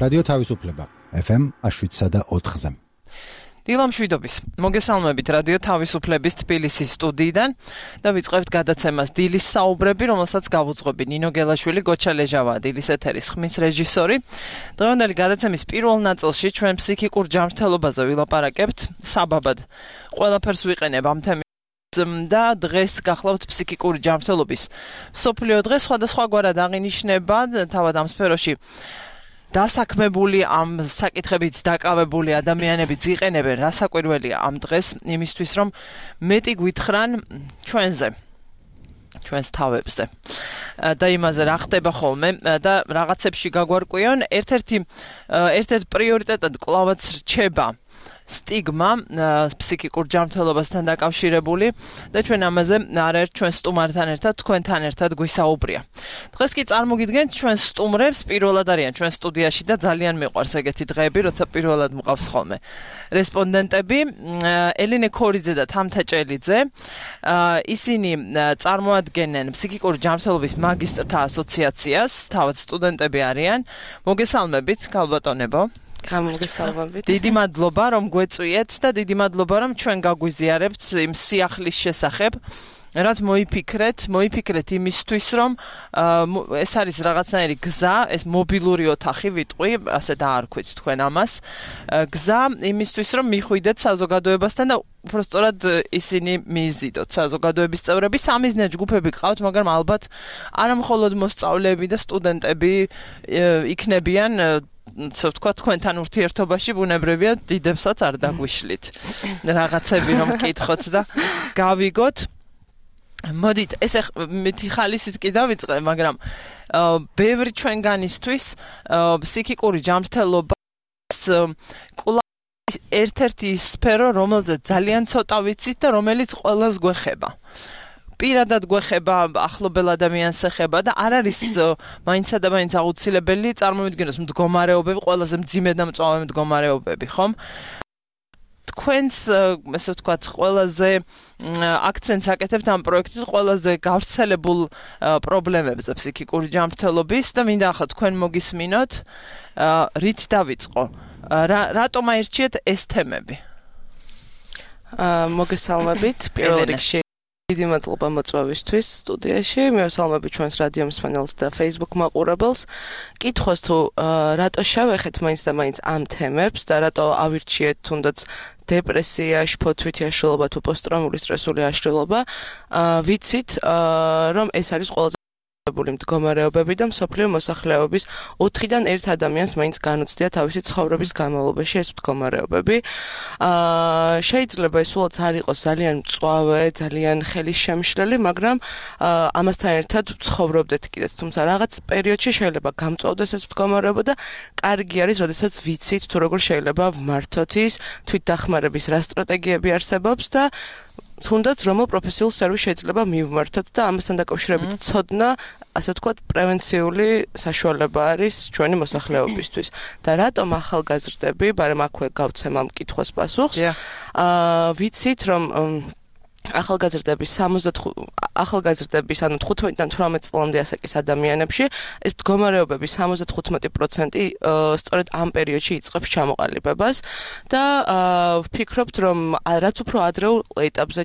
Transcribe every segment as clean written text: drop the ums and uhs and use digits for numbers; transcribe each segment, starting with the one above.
რადიო თავისუფლება FM 7.4-ზე. დილამშვიდობის. მოგესალმებით რადიო თავისუფლების თბილისის სტუდიიდან და ვიწყებთ გადაცემას დილის საუბრები, რომელსაც გავუძღვები ნინო გელაშვილი, გოჩა ლეჟავა, დილის ეთერის ხმის რეჟისორი. დღევანდელი გადაცემის პირველ ნაწილში ჩვენ ფსიქიკურ ჯანმრთელობაზე ვილაპარაკებთ. საბაბად ყველაფერს ვიყენებ ამ თემის და დღეს გახლავთ ფსიქიკური ჯანმრთელობის მსოფლიო დღე. სხვადასხვაგვარად აღინიშნება თავად ამ სფეროში დასაქმებული ამ საკითხებით დაკავებული ადამიანებიც იყენებენ რასაკვირველია ამ დღეს იმისთვის რომ მეტი გვითხრან ჩვენს თავებზე და იმაზე რა ხდება ხოლმე და რაღაცებში გაგვარკვიონ ერთ-ერთ პრიორიტეტად კლავაც რჩება სტიგმა ფსიქიკურ ჯანმრთელობასთან დაკავშირებული და ჩვენ ამაზე არაერთ ჩვენ სტუმართან ერთად თქვენთან ერთად გვისაუბრია. დღეს კი წარმოგიდგენთ ჩვენ სტუმრებს პირველად არიან ჩვენ სტუდიაში და ძალიან მიყვარს ეგეთი დღეები, როცა პირველად მყავს ხოლმე რესპონდენტები ელენე ქორიძე და თამთა ჭელიძე. ისინი წარმოადგენენ ფსიქიკური ჯანმრთელობის მაგისტრთა ასოციაციას, თავად სტუდენტები არიან. მოგესალმებით, ქალბატონებო. გამოგესალმებით. დიდი მადლობა რომ გვეწვიეთ და დიდი მადლობა რომ ჩვენ გაგვიზიარებთ იმ სიახლის შესახებ, რაც მოიფიქრეთ იმისთვის რომ ეს არის რაღაცნაირი გზა, ეს მობილური ოთახი ვიტყვი, ასე დაარქვით თქვენ ამას. გზა იმისთვის რომ მიხვიდეთ საზოგადოებასთან და უბრალოდ ისინი მიიზიდოთ საზოგადოების წევრები. სამიზნე ჯგუფები ყავთ, მაგრამ ალბათ არა მხოლოდ მოსწავლეები და სტუდენტები იქნებიან ვთქვა თქვენთან ურთიერთობაში ბუნებრივია დიდებსაც არ დაგვიშლით რაღაცები რომ კითხოთ და გავიგოთ. მოდით ესე მითი ხალისით კი დავიწყე, მაგრამ ბევრი ჩვენგანისთვის ფსიქიკური ჯანმრთელობას ერთ-ერთი სფერო, რომელზეც ძალიან ცოტა ვიცით და რომელიც ყველას გვეხება. პირადად გვეხება, ახლობელ ადამიანს ეხება და არ არის მაინცა და მაინც აუცილებელი წარმოვიდგინოს მდგომარეობები, ყველაზე მძიმე და მწვავე მდგომარეობები, ხომ? თქვენს, ესე ვთქვათ, ყველაზე აქცენტს აკეთებთ ამ პროექტით ყველაზე გავრცელებულ პრობლემებზე ფსიქიკური ჯანმრთელობის და მინდა ახლა თქვენ მოგისმინოთ, რით დავიწყო? რატომ აირჩიეთ ეს თემები? მოგესალმებით, პირველ რიგში დიდი მადლობა მოწვევისთვის სტუდიაში. მივესალმები ჩვენს რადიო მსმენელს და Facebook მაყურებელს. კითხოს თუ რატო შევეხეთ მაინც და მაინც ამ თემებს და რატო ავირჩიეთ თუნდაც დეპრესია, შფოთვითი აშლილობა თუ პოსტტრაუმული სტრესული აშლილობა. ვიცით რომ ეს არის ყველაზე მდგომარეობები და მსოფლიო მოსახლეობის 4-დან 1 ადამიანს მაინც განუცდია თავისი ცხოვრების განმავლობაში ეს მდგომარეობები. შეიძლება ეს სულაც არ იყოს ძალიან მწვავე, ძალიან ხელისშემშლელი, მაგრამ ამასთან ერთად ცხოვრობდეთ კიდეც. თუმცა რაღაც პერიოდში შეიძლება გამწვავდეს ეს მდგომარეობა და კარგი არის, როდესაც ვიცით თუ როგორ შეიძლება ვმართოთ ის, თვითდახმარების რა სტრატეგიები არსებობს და თუნდაც რომელ პროფესიულ სერვისს შეიძლება მივმართოთ და ამასთან დაკავშირებით ცოდნა, ასე ვთქვათ, პრევენციული საშუალება არის ჩვენი მოსახლეობისთვის. და რატომ ახალგაზრდები, მაგრამ აქვე გავცემ ამ კითხვას პასუხს. ვიცით რომ ახალგაზრდების ანუ 15-დან 18 წლამდე ასაკის ადამიანებში ეს მდგომარეობები 75% სწორედ ამ პერიოდში იწყებს ჩამოყალიბებას და ვფიქრობთ რომ რაც უფრო ადრეულ ეტაპზე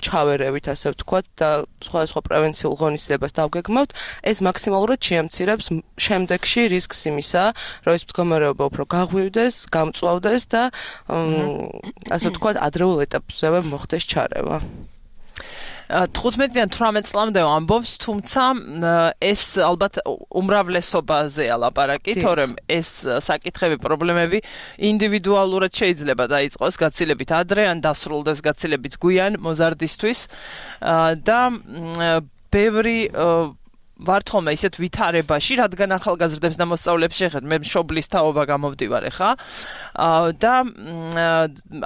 ჩავერევით, ასე ვთქვათ, და სხვადასხვა პრევენციულ ღონისძიებას დავგეგმავთ, ეს მაქსიმალურად შეამცირებს შემდეგში რისკს იმისა, რომ ეს მდგომარეობა უფრო გაღვივდეს, გამწვავდეს და ასე ვთქვათ, ადრეულ ეტაპზევე მოხდეს ჩარევა. 15-დან 18 წლამდე ამბობს, თუმცა ეს ალბათ უმრავლესობაზეა ლაპარაკი, თორემ ეს საკითხები, პრობლემები ინდივიდუალურად შეიძლება დაიწყოს გაცილებით ადრე ან დასრულდეს გაცილებით გვიან მოზარდისთვის და ბევრი ვართ ხოლმე ისეთ ვითარებაში, რადგან ახალგაზრდებს და მოსწავლეებს შეხედავ, მე მშობლის თაობა გამოვდივარ ეხა და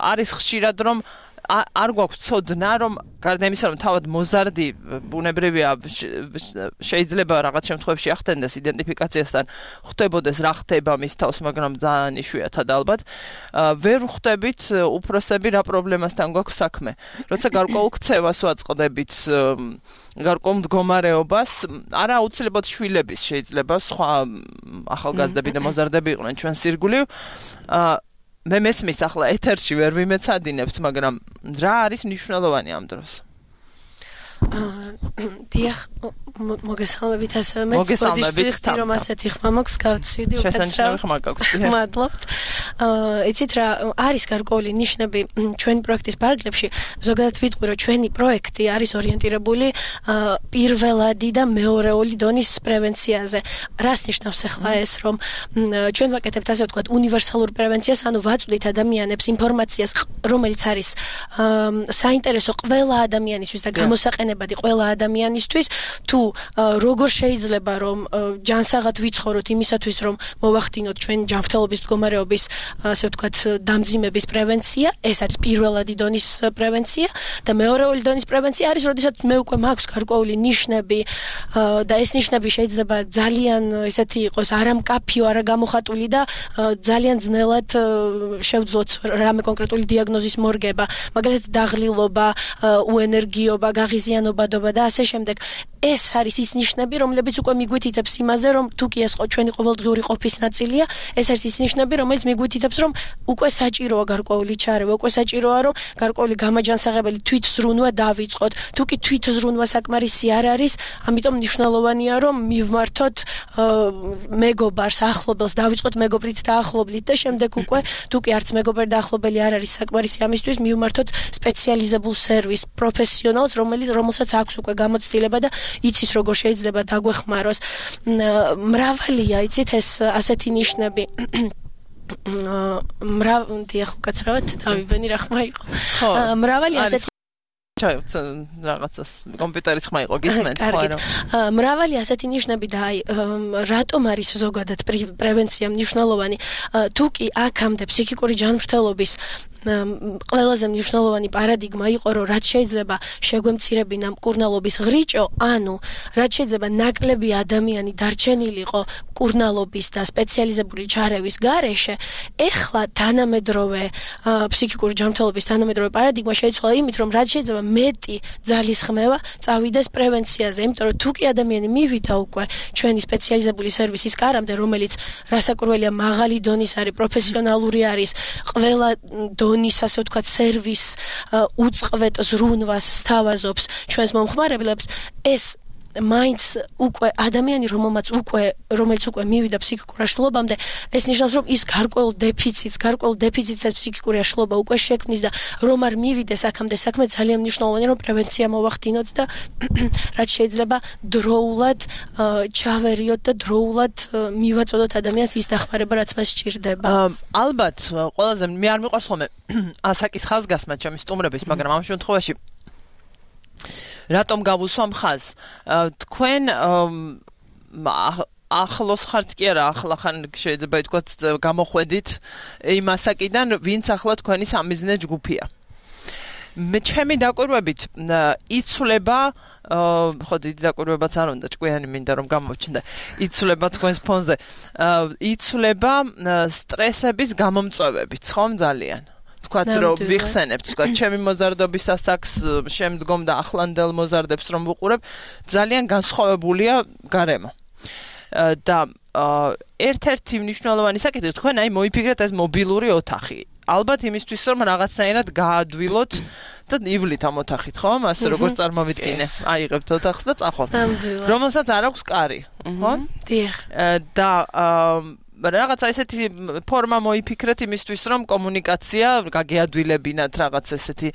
არის ხშირად რომ არ გვაქვს ცოდნა რომ გარდა იმისა რომ თავად მოზარდი ბუნებრივია შეიძლება რაღაც შემთხვევებში ახდენდეს იდენტიფიკაციასთან ხვდებოდეს რა ხდება მის თავს მაგრამ ძალიან იშვიათად ალბათ ვერ ხვდებით უფროსები რა პრობლემასთან გვაქვს საქმე როცა გარკვეულ ქცევას ვაწყდებით გარკვეულ მდგომარეობას არა აუცილებლად შვილების შეიძლება სხვა ახალგაზრდები და მოზარდები იყვნენ ჩვენს ირგვლივ მე მესმის ახლა ეთერში ვერ ვიმეცადინებთ მაგრამ რა არის მნიშვნელოვანი ამ დროს დიახ მოგესალმებით ასევე მეც ვთქვი რომ ასეთი ხმა მაქვს გავცივდი შესანიშნავი ხმა გაქვს მადლობთ იცით რა არის გარკვეული ნიშნები ჩვენი პროექტის პარალელებში ზოგადად ვიტყვი რომ ჩვენი პროექტი არის ორიენტირებული პირველადი და მეორეული დონის პრევენციაზე რას ნიშნავს ახლა ეს რომ ჩვენ ვაკეთებთ ასე ვთქვათ უნივერსალურ პრევენციას ანუ ვაწვდით ადამიანებს ინფორმაციას რომელიც არის საინტერესო ყველა ადამიანისთვის და გამოსაყენებადი ყველა ადამიანისთვის თუ როგორ შეიძლება რომ ჯანსაღად ვიცხოვროთ იმისათვის რომ მოვახდინოთ ჩვენ ჯანმრთელობის მდგომარეობის ასე ვთქვათ დამძიმების პრევენცია ეს არის პირველადი დონის პრევენცია და მეორეული დონის პრევენცია არის როდესაც მე უკვე მაქვს გარკვეული ნიშნები და ეს ნიშნები შეიძლება ძალიან ესეთი იყოს არამკაფიო არაგამოხატული და ძალიან ძნელად შევძლოთ რამე კონკრეტული დიაგნოზის მორგება მაგალითად დაღლილობა უენერგიობა გაღიზიანობადობა და ასე შემდეგ ეს არის ის ნიშნები რომლებიც უკვე მიგვითითებს იმაზე რომ თუ კი ეს ჩვენი ყოველდღიური ყოფის ნაწილია ეს არის ის ნიშნები რომელიც მიგვითითებს რომ უკვე საჭიროა გარკვეული ჩარევა უკვე საჭიროა რომ გარკვეული გამაჯანსაღებელი თვითზრუნვა დავიწყოთ თუ კი თვითზრუნვა საკმარისი არ არის ამიტომ მნიშვნელოვანია რომ მივმართოთ მეგობარს ახლობელს დავიწყოთ მეგობრით დაახლოებით და შემდეგ უკვე თუ კი არც მეგობარი და ახლობელი არ არის საკმარისი ამისთვის მივმართოთ სპეციალიზებულ სერვისს პროფესიონალს რომელსაც აქვს უკვე გამოცდილება და იცის როგორ შეიძლება დაგვეხმაროს მრავალია იცით ეს ასეთი ნიშნები დიახ უკაცრავად დავიბენი რა ხმა იყო მრავალი ასეთი რაღაცას კომპიუტერის ხმა იყო გისმენთ ხო არა მრავალი ასეთი ნიშნები და აი რატომ არის ზოგადად პრევენცია მნიშვნელოვანი თუ კი აქამდე ფსიქიკური ჯანმრთელობის ყველაზე მნიშვნელოვანი პარადიგმა იყო რომ რაც შეიძლება შეგვემცირებინა მკურნალობის ღრიჭო ანუ რაც შეიძლება ნაკლები ადამიანი დარჩენილიყო მკურნალობის და სპეციალიზებული ჩარევის გარეშე ეხლა თანამედროვე ფსიქიკური ჯანმრთელობის თანამედროვე პარადიგმა შეიცვალა იმით რომ რაც შეიძლება მეტი ძალისხმევა წავიდეს პრევენციაზე იმიტომ რომ თუ კი ადამიანი მივიდა უკვე ჩვენი სპეციალიზებული სერვისის კარამდე რომელიც რასაკურველია მაღალი დონის არის პროფესიონალური არის ყველა დონის ასე ვთქვათ სერვის უწყვეტ ზრუნვას სთავაზობს ჩვენს მომხმარებლებს ეს მაინც უკვე ადამიანი რომელიც უკვე მივიდა ფსიქიკურ აშლილობამდე ეს ნიშნავს რომ ის გარკვეულ დეფიციტს ეს ფსიქიკური აშლილობა უკვე შექმნის და რომ არ მივიდეს აქამდე საქმე ძალიან მნიშვნელოვანია რომ პრევენცია მოვახდინოთ და რაც შეიძლება დროულად ჩავერიოთ და დროულად მივაწოდოთ ადამიანს ის დახმარება რაც მას სჭირდება ალბათ ყველაზე მე არ მიყვარს ხოლმე ასაკის ხაზგასმა ჩემი სტუმრების მაგრამ ამ შემთხვევაში რატომ გავუსვამ ხაზს თქვენ ახლოს ხართ კი არა ახლა ხან შეიძლება ითქვათ გამოხვედით იმ ასაკიდან ვინც ახლა თქვენი სამიზნე ჯგუფია მე ჩემი დაკვირვებით იცვლება ხო დიდი დაკვირვებაც არ უნდა ჭკვიანი მინდა რომ გამოვჩნდა იცვლება თქვენს ფონზე იცვლება სტრესების გამომწვევებით ხომ ძალიან თქვათ რომ ვიხსენებთ თქვათ ჩემი მოზარდობის ასაკს შემდგომ და ახლანდელ მოზარდებს რომ ვუყურებ ძალიან განსხვავებულია გარემო და ერთ-ერთი მნიშვნელოვანი საკითხი თქვენ აი მოიფიქრეთ ეს მობილური ოთახი ალბათ იმისთვის რომ რაღაცნაირად გაადვილოთ და ივლით ამ ოთახით ხო ასე როგორც წარმოვიდგინე აიღებთ ოთახს და წახვალთ რომელსაც არ აქვს კარი ხო დიახ და რაღაცა ესეთი ფორმა მოიფიქრეთ იმისთვის რომ კომუნიკაცია გაგეადვილებინათ რაღაც ესეთი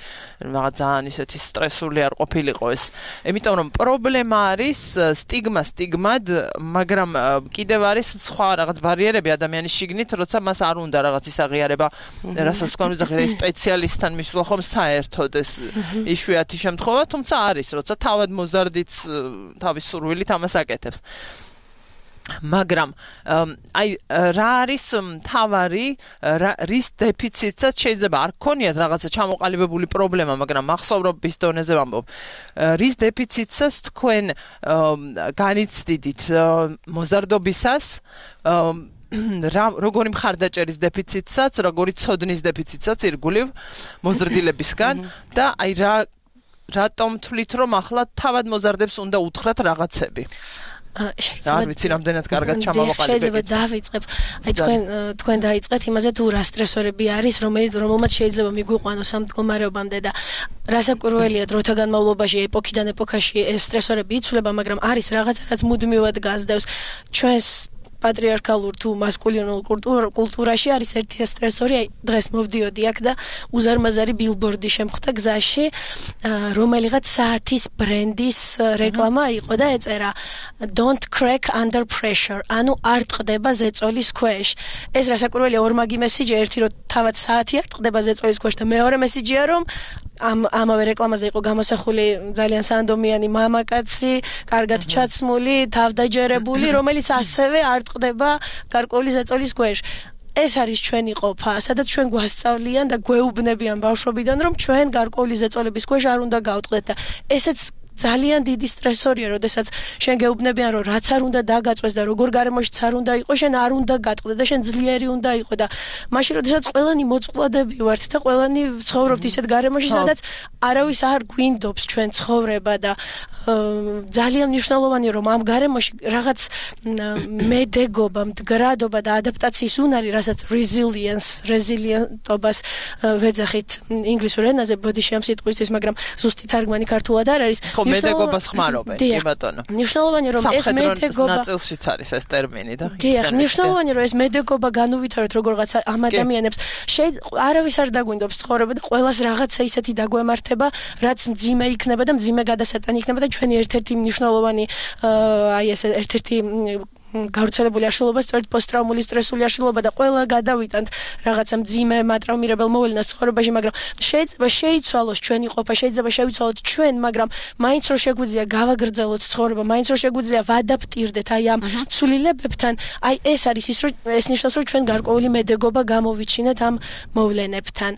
რაღაც ძალიან ისეთი სტრესული არ ყოფილიყო ეს იმიტომ რომ პრობლემა არის სტიგმად მაგრამ კიდევ არის სხვა რაღაც ბარიერები ადამიანის შიგნით როცა მას არ უნდა რაღაც ის აღიარება რასაც თქვენ უძახით ეს სპეციალისტთან მისვლა ხომ საერთოდ ეს იშვიათი შემთხვევა თუმცა არის როცა თავად მოზარდიც თავის სურვილით ამას აკეთებს მაგრამ აი რა არის მთავარი რის დეფიციტსაც შეიძლება არ ქონიათ რაღაცა ჩამოყალიბებული პრობლემა, მაგრამ მახსოვრობის დონეზე ვამბობ. რის დეფიციტსაც თქვენ განიცდიდით მოზარდობისას როგორი მხარდაჭერის დეფიციტსაც, როგორი ცოდნის დეფიციტსაც ირგვლივ მოზრდილებისგან და აი რატომ თვლით რომ ახლა თავად მოზარდებს უნდა უთხრათ რაღაცები? არ ვიცი რამდენად კარგად ჩამოვაყალიბეთ. შეიძლება დავიწყებ. აი თქვენ დაიწყეთ იმაზე თუ რა სტრესორები არის, რომელმაც შეიძლება მიგვიყვანოს ამ მდგომარეობამდე და რასაკვირველია დროთა განმავლობაში ეპოქიდან ეპოქაში ეს სტრესორები იცვლება, მაგრამ არის რაღაცა რაც მუდმივად გასდევს ჩვენს პატრიარქალურ თუ მასკულინურ კულტურაში არის ერთი სტრესორი, აი დღეს მოვდიოდი აქ და უზარმაზარი ბილბორდი შემხვდა გზაში, რომელიღაც საათის ბრენდის რეკლამა იყო და ეწერა Don't crack under pressure, ანუ არ ტყდება ზეწოლის ქვეშ. ეს რასაკვირველია ორმაგი მესიჯი, ერთი რომ თავად საათი არ ტყდება ზეწოლის ქვეშ და მეორე მესიჯია რომ ამავე რეკლამაზე იყო გამოსახული ძალიან სანდომიანი მამაკაცი, კარგად ჩაცმული, თავდაჯერებული, რომელიც ასევე არ ტყდება გარკვეული ზეწოლის ქვეშ. ეს არის ჩვენი ყოფა, სადაც ჩვენ გვასწავლიან და გვეუბნებიან ბავშვობიდან, რომ ჩვენ გარკვეული ზეწოლების ქვეშ არ უნდა გავტყდეთ და ესეც ძალიან დიდი სტრესორია, როდესაც შენ გეუბნებიან, რომ რაც არ უნდა დაგაწვეს და როგორ გარემოშიც არ უნდა იყო, შენ არ უნდა გატყდე და შენ ძლიერი უნდა იყო და მაშინ როდესაც ყველანი მოწყვლადები ვართ და ყველანი ცხოვრობთ ისეთ გარემოში, სადაც არავის არ გვინდობს ჩვენ ცხოვრება და ძალიან მნიშვნელოვანია, რომ ამ გარემოში რაღაც მედეგობა, მდგრადობა და ადაპტაციის უნარი, რასაც resilience-ობას ვეძახით ინგლისურ ენაზე, ბოდიში ამ სიტყვისთვის, მაგრამ ზუსტი თარგმანი ქართულად არ არის. მედეგობას ხმარობენ, კი ბატონო. მნიშვნელოვანია რომ ეს მედეგობა ნაწილშიც არის ეს ტერმინი და დიახ, მნიშვნელოვანია რომ ეს მედეგობა განუვითაროთ როგორღაც ამ ადამიანებს. არავის არ დაგვინდობს ცხოვრება და ყველას რაღაცა ისეთი დაგვემართება, რაც მძიმე იქნება და მძიმე გადასატანი იქნება და ჩვენი ერთ-ერთი მნიშვნელოვანი აი ეს ერთ-ერთი გავრცელებული აშლილობა, სწორედ პოსტტრაუმული სტრესული აშლილობა და ყველა გადავიტანთ რაღაცა მძიმე მატრაუმირებელ მოვლენას ცხოვრებაში, მაგრამ შეიძლება შეიცვალოს ჩვენი ყოფა, შეიძლება შევიცვალოთ ჩვენ, მაგრამ მაინც რომ შეგვიძლია გავაგრძელოთ ცხოვრება, მაინც რომ შეგვიძლია ვადაპტირდეთ აი ამ ცვლილებებთან, აი ეს არის ის, რომ ეს ნიშნავს, რომ ჩვენ გარკვეული მედეგობა გამოვიჩინეთ ამ მოვლენებთან.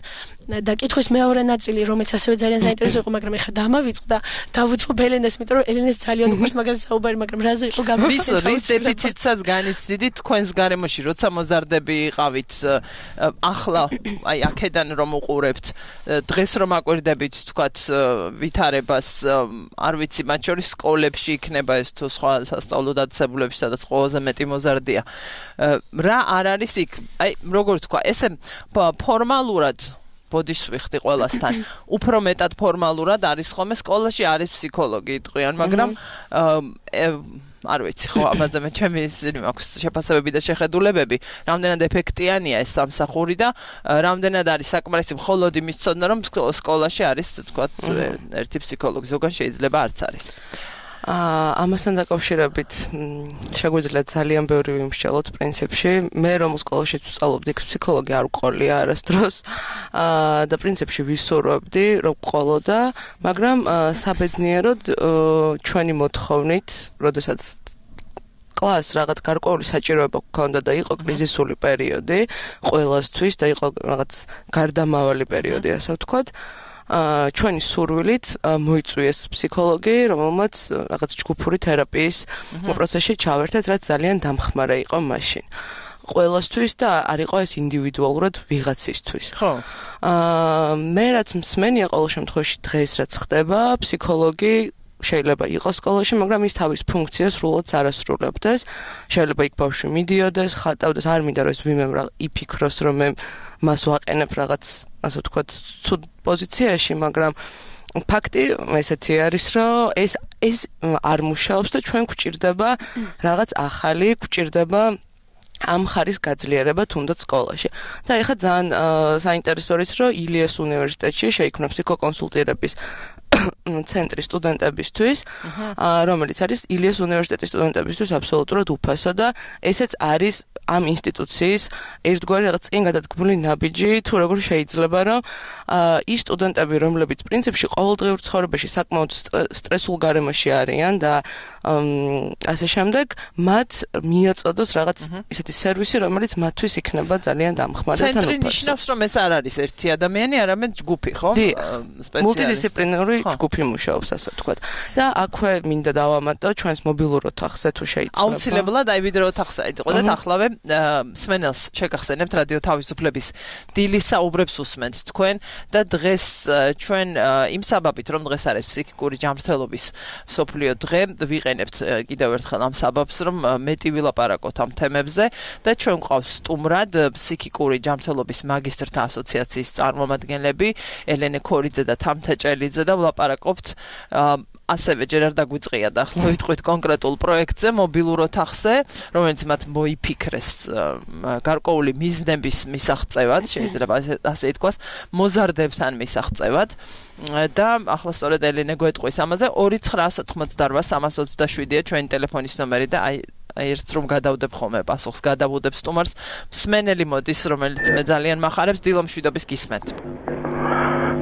და კითხვის მეორე ნაწილი, რომელიც ასევე ძალიან საინტერესო იყო, მაგრამ ეხლა დამავიწყდა, დავუთმობ ელენეს, იმიტომ რომ ელენეს ძალიან უყვარს მაგაზე საუბარი, მაგრამ რაზე იყო გამოსწორებული. რის დეფიციტსაც განიცდიდით თქვენს გარემოში, როცა მოზარდები იყავით, ახლა აი აქედან რომ უყურებთ, დღეს რომ აკვირდებით, თქვათ, ვითარებას, არ ვიცი, მათ შორის სკოლებში იქნება ეს თუ სხვა სასწავლო დაწესებულებში, სადაც ყველაზე მეტი მოზარდია. რა არ არის იქ? აი, როგორ თქვა, ესე ფორმალურად ბოდიშს ვიხდი ყველასთან. უფრო მეტად ფორმალურად არის ხოლმე სკოლაში არის ფსიქოლოგი იტყვიან, მაგრამ არ ვიცი, ხო, ამაზე მე ჩემი ისინი მაქვს შეფასებები და შეხედულებები, რამდენად ეფექტიანია ეს სამსახური და რამდენად არის საკმარისი მხოლოდ იმის ცოდნა, რომ სკოლაში არის, თქვათ, ერთი ფსიქოლოგი, ზოგან შეიძლება არც არის. ამასთან დაკავშირებით შეგვიძლია ძალიან ბევრი ვიმსჯელოთ პრინციპში. მე რომ სკოლაში ვსწავლობდი, ფსიქოლოგი არ ვყოლია არასდროს და პრინციპში ვისურვებდი, რომ ვყოლოდა, მაგრამ საბედნიეროდ ჩვენი მოთხოვნით, როდესაც კლასს რაღაც გარკვეული საჭიროება გქონდა და იყო კრიზისული პერიოდი ყველასთვის და იყო რაღაც გარდამავალი პერიოდი, ასე ვთქვათ. ჩვენი სურვილით მოიწვიეს ფსიქოლოგი, რომელმაც რაღაც ჯგუფური თერაპიის პროცესში ჩავერთეთ, რაც ძალიან დამხმარე იყო მაშინ. ყველასთვის და არ იყო ეს ინდივიდუალურად ვიღაცისთვის. ხო. მე რაც მსმენია ყოველ შემთხვევაში დღეს რაც ხდება, ფსიქოლოგი შეიძლება იყოს სკოლაში, მაგრამ ის თავის ფუნქციას სრულად არ ასრულებდეს. შეიძლება იქ ბავშვი მიდიოდეს, ხატავდეს, არ მინდა რომ ეს ვიმევრა, იფიქროს რომ მე მას ვაყენებ რაღაც, ასე ვთქვათ, ცუდ პოზიციაში, მაგრამ ფაქტი ესეთი არის, რომ ეს არ მუშაობს და ჩვენ გვჭირდება რაღაც ახალი, გვჭირდება ამ ხარის გაძლიერება თუნდაც სკოლაში. და ეხლა ძალიან საინტერესო არის, რომ ილიას უნივერსიტეტში შეიქმნა ფსიქოკონსულტირების ცენტრი სტუდენტებისთვის, რომელიც არის ილიას უნივერსიტეტის სტუდენტებისთვის აბსოლუტურად უფასო და ესეც არის ამ ინსტიტუციის ერთგვარი რაღაც წინ გადადგმული ნაბიჯი, თუ როგორ შეიძლება რომ ის სტუდენტები, რომლებიც პრინციპში ყოველდღიურ ცხოვრებაში საკმაოდ სტრესულ გარემოში არიან და ასე შემდეგ, მათ მიაწოდოს რაღაც ისეთი სერვისი, რომელიც მათთვის იქნება ძალიან დამხმარე და ცენტრი ნიშნავს, რომ ეს არ არის ერთი ადამიანი, არამედ ჯგუფი, ხო? მულტიდისციპლინარული ჯგუფი მუშაობს, ასე ვთქვათ. და აქვე მინდა დავამატო ჩვენს მობილურ ოთახზე თუ შეიძლება. აუცილებლად აი ვიდრე ოთახზე აიწყოთ ახლავე სმენელს შეგახსენებთ რადიო თავისუფლების დილის საუბრებს უსმენთ თქვენ და დღეს ჩვენ იმ საბაბით რომ დღეს არის ფსიქიკური ჯანმრთელობის მსოფლიო დღე ვიყენებთ კიდევ ერთხელ ამ საბაბს რომ მეტი ვილაპარაკოთ ამ თემებზე და ჩვენ გვყავს სტუმრად ფსიქიკური ჯანმრთელობის მაგისტრთა ასოციაციის წარმომადგენლები ელენე ქორიძე და თამთა ჭელიძე და ვლაპარაკობთ ასევე ჯერ არ დაგვიწყია და ახლა ვიტყვით კონკრეტულ პროექტზე მობილურ ოთახზე, რომელიც მათ მოიფიქრეს გარკვეული მიზნების მისაღწევად, შეიძლება ასე ითქვას, მოზარდებთან მისაღწევად და ახლა სწორედ ელენე გვეტყვის ამაზე 2988327-ია ჩვენი ტელეფონის ნომერი და აი ერთს რომ გადავდებ ხოლმე პასუხს გადავუდებ სტუმარს მსმენელი მოდის რომელიც მე ძალიან მახარებს დილამშვიდობის გისმენთ.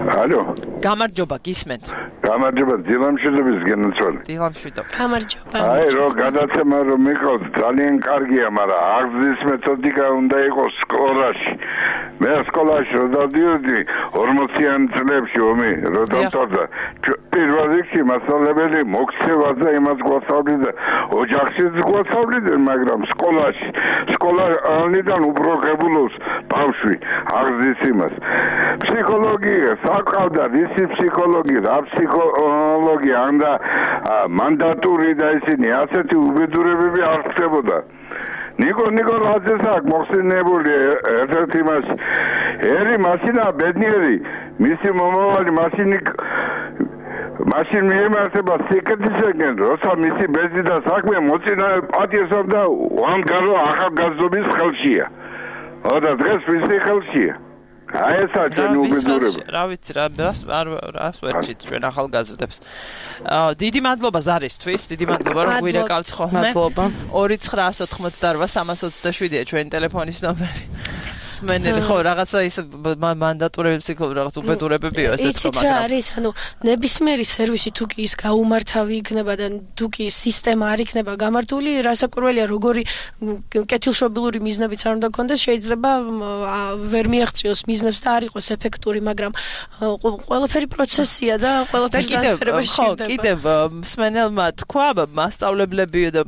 ალო. გამარჯობა გისმენთ. გამარჯობა დილამშვიდობის გენაცვალე. დილამშვიდობა. გამარჯობა. აი რო გადაცემა რომ მიყავს ძალიან კარგია, მაგრამ აღზის მეთოდიკა უნდა იყოს სკოლაში. მე სკოლაში რო დავდიოდი 40-იან წლებში ომი რო დავწერდა. პირველ რიგში მასწავლებელი მოქცევაზე იმას გვასწავლიდა, ოჯახშიც გვასწავლიდა, მაგრამ სკოლიდან უბრალოდ ბავშვი აღზის იმას. ფსიქოლოგია საკავდა ისი ფსიქოლოგია და ფსიქოლოგია და მანდატური და ისინი ასეთი უბედურებები არ ხდებოდა. ნიკო რაზეც აქვს მოხსენებული ერთ-ერთი მასი ერი მასინა ბედნიერი მისი მომავალი მაშინ მიემართება სიკეთისაკენ, როცა მისი ბეძი და საქმე მოწინა პატიოსამ და უამგარო ახალგაზრდობის ხელშია. და დღეს ვისი ხელშია? აი ესა ჩვენი უბედურება. რა ვიცი რა რას ვერჩით ჩვენ ახალგაზრდებს. დიდი მადლობა ზარისთვის, დიდი მადლობა რომ გვირეკავთ ხოლმე. მადლობა. 2988327-ია ჩვენი ტელეფონის ნომერი. სმენელი ხო რაღაცა ის მანდატურები ფსიქოლოგი რაღაც უბედურებებია ესეც იცით რა არის ანუ ნებისმიერი სერვისი თუ კი ის გაუმართავი იქნება და თუ კი სისტემა არ იქნება გამართული რასაკვირველია როგორი კეთილშობილური მიზნებიც არ უნდა გქონდეს შეიძლება ვერ მიაღწიოს მიზნებს და არ იყოს ეფექტური მაგრამ ყველაფერი პროცესია და ყველაფერი განვითარება შეიძლება კიდევ სმენელმა თქვა მასწავლებლები და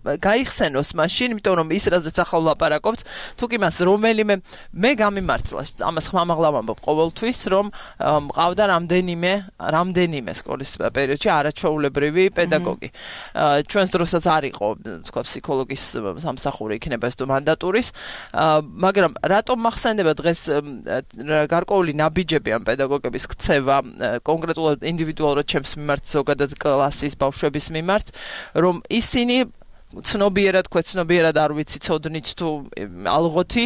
გაიხსენოს მაშინ იმიტომ რომ ის რაზეც ახლა ვლაპარაკობთ თუ კი მას რომელიმე მე გამიმართლა ამას ხმამაღლა ვამბობ ყოველთვის რომ მყავდა რამდენიმე სკოლის პერიოდში არაჩვეულებრივი პედაგოგი ჩვენს დროსაც არ იყო თქვა ფსიქოლოგის სამსახური იქნება ეს თუ მანდატურის მაგრამ რატომ მახსენდება დღეს გარკვეული ნაბიჯები ამ პედაგოგების ქცევა კონკრეტულად ინდივიდუალურად ჩემს მიმართ ზოგადად კლასის ბავშვების მიმართ რომ ისინი ცნობიერად არ ვიცი ცოდნით თუ ალღოთი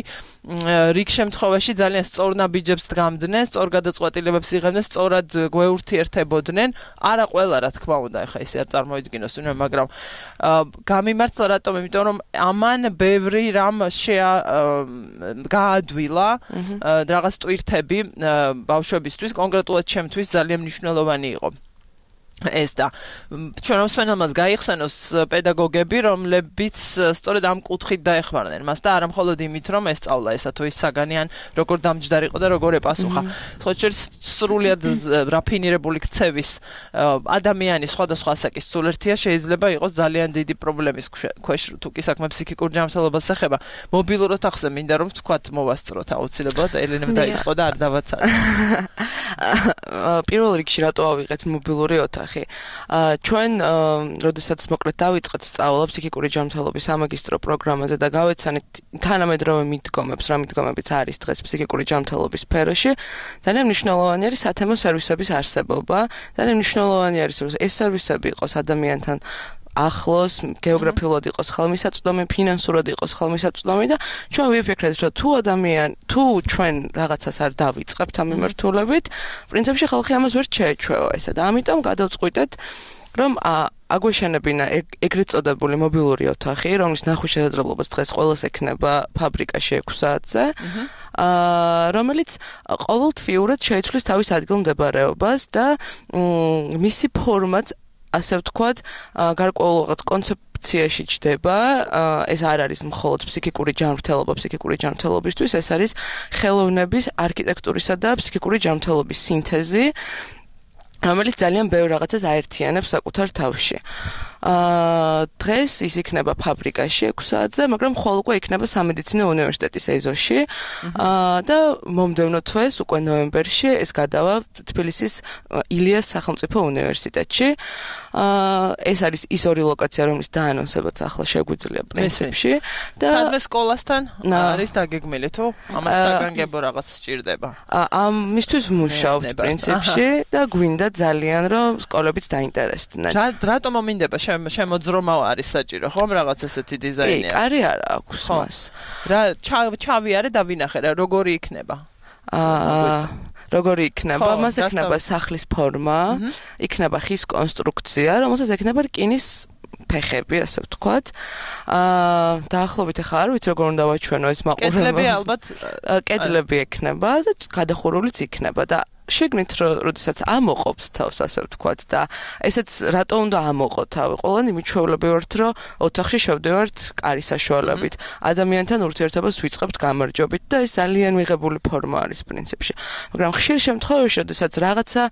რიგ შემთხვევაში ძალიან სწორ ნაბიჯებს დგამდნენ, სწორ გადაწყვეტილებებს იღებდნენ, სწორად გვეურთიერთებოდნენ. არა ყველა რა თქმა უნდა, ეხა ისე არ წარმოიდგინოს ვინმე, მაგრამ გამიმართლა რატომ? იმიტომ რომ ამან ბევრი რამ გაადვილა რაღაც ტვირთები ბავშვებისთვის, კონკრეტულად ჩემთვის ძალიან მნიშვნელოვანი იყო. ეს და ჩვენ მსმენელმაც გაიხსენოს პედაგოგები, რომლებიც სწორედ ამ კუთხით დაეხმარნენ მას და არა მხოლოდ იმით, რომ ესწავლა ესა თუ ის საგანიან, როგორ დამჯდარიყო და როგორ ეპასუხა. ხო სრულიად რაფინირებული ქცევის ადამიანის სხვადასხვა ასაკის სულერთია შეიძლება იყოს ძალიან დიდი პრობლემის ქვეშ, თუ კი საქმე ფსიქიკურ ჯანმრთელობას ეხება. მობილურ ოთახზე მინდა რომ თქვათ მოვასწროთ აუცილებლად ელენემ დაიწყო და არ დავაცადე. პირველ რიგში რატო ავიღეთ მობილური ოთახი? ჩვენ როდესაც მოკლედ დავიწყეთ სწავლა ფსიქიკური ჯანმრთელობის სამაგისტრო პროგრამაზე და გავეცანით თანამედროვე მიდგომებს, რა მიდგომებიც არის დღეს ფსიქიკური ჯანმრთელობის სფეროში, ძალიან მნიშვნელოვანი არის სათემო სერვისების არსებობა, ძალიან მნიშვნელოვანი არის რომ ეს სერვისები იყოს ადამიანთან ახლოს, გეოგრაფიულად იყოს ხელმისაწვდომი, ფინანსურად იყოს ხელმისაწვდომი და ჩვენ ვიფიქრეთ, რომ თუ ჩვენ რაღაცას არ დავიწყებთ ამ მიმართულებით, პრინციპში ხალხი ამას ვერ შეეჩვევა ესა და ამიტომ გადავწყვიტეთ რომ აგვეშენებინა ეგრეთ წოდებული მობილური ოთახი, რომლის ნახვის შესაძლებლობას დღეს ყველას ექნება ფაბრიკაში 6 საათზე, რომელიც ყოველთვიურად შეიცვლის თავის ადგილმდებარეობას და მისი ფორმაც, ასე ვთქვათ, გარკვეულ რაღაც კონცეფციაში ჩდება, ეს არ არის მხოლოდ ფსიქიკური ჯანმრთელობისთვის, ეს არის ხელოვნების, არქიტექტურისა და ფსიქიკური ჯანმრთელობის სინთეზი, რომელიც ძალიან ბევრ რაღაცას აერთიანებს საკუთარ თავში. დღეს ის იქნება ფაბრიკაში 6 საათზე, მაგრამ ხოლ უკვე იქნება სამედიცინო უნივერსიტეტის ეზოში და მომდევნო თვეს უკვე ნოემბერში ეს გადავა თბილისის ილიას სახელმწიფო უნივერსიტეტში. ეს არის ის ორი ლოკაცია, რომლის დაანონსებაც ახლა შეგვიძლია პრინციპში და სადმე სკოლასთან არის დაგეგმილი თუ ამას საგანგებო რაღაც სჭირდება. ამისთვის ვმუშაობთ პრინციპში და გვინდა ძალიან რომ სკოლებიც დაინტერესდნენ. რატომ მომინდება შემოძრომა არის საჭირო, ხომ რაღაც ესეთი დიზაინი არის? კი, კარი არა აქვს მას. რა ჩავიარე და ვინახე რა როგორი იქნება? როგორი იქნება? მას ექნება სახლის ფორმა, იქნება ხის კონსტრუქცია, რომელსაც ექნება რკინის ფეხები, ასე ვთქვათ. დაახლოებით ახლა არ ვიცი როგორ უნდა ვაჩვენო ეს მაყურებელს. კედლები ალბათ კედლები ექნება და გადახურულიც იქნება და შეგნით როდესაც ამოყობთ თავს, ასე ვთქვათ და ესეც რატო უნდა ამოყო თავი? ყველანი მიჩვეულები ვართ, რომ ოთახში შევდივართ კარის საშუალებით. ადამიანთან ურთიერთობას ვიწყებთ გამარჯვებით და ეს ძალიან მიღებული ფორმა არის პრინციპში. მაგრამ ხშირ შემთხვევაში, როდესაც რაღაცა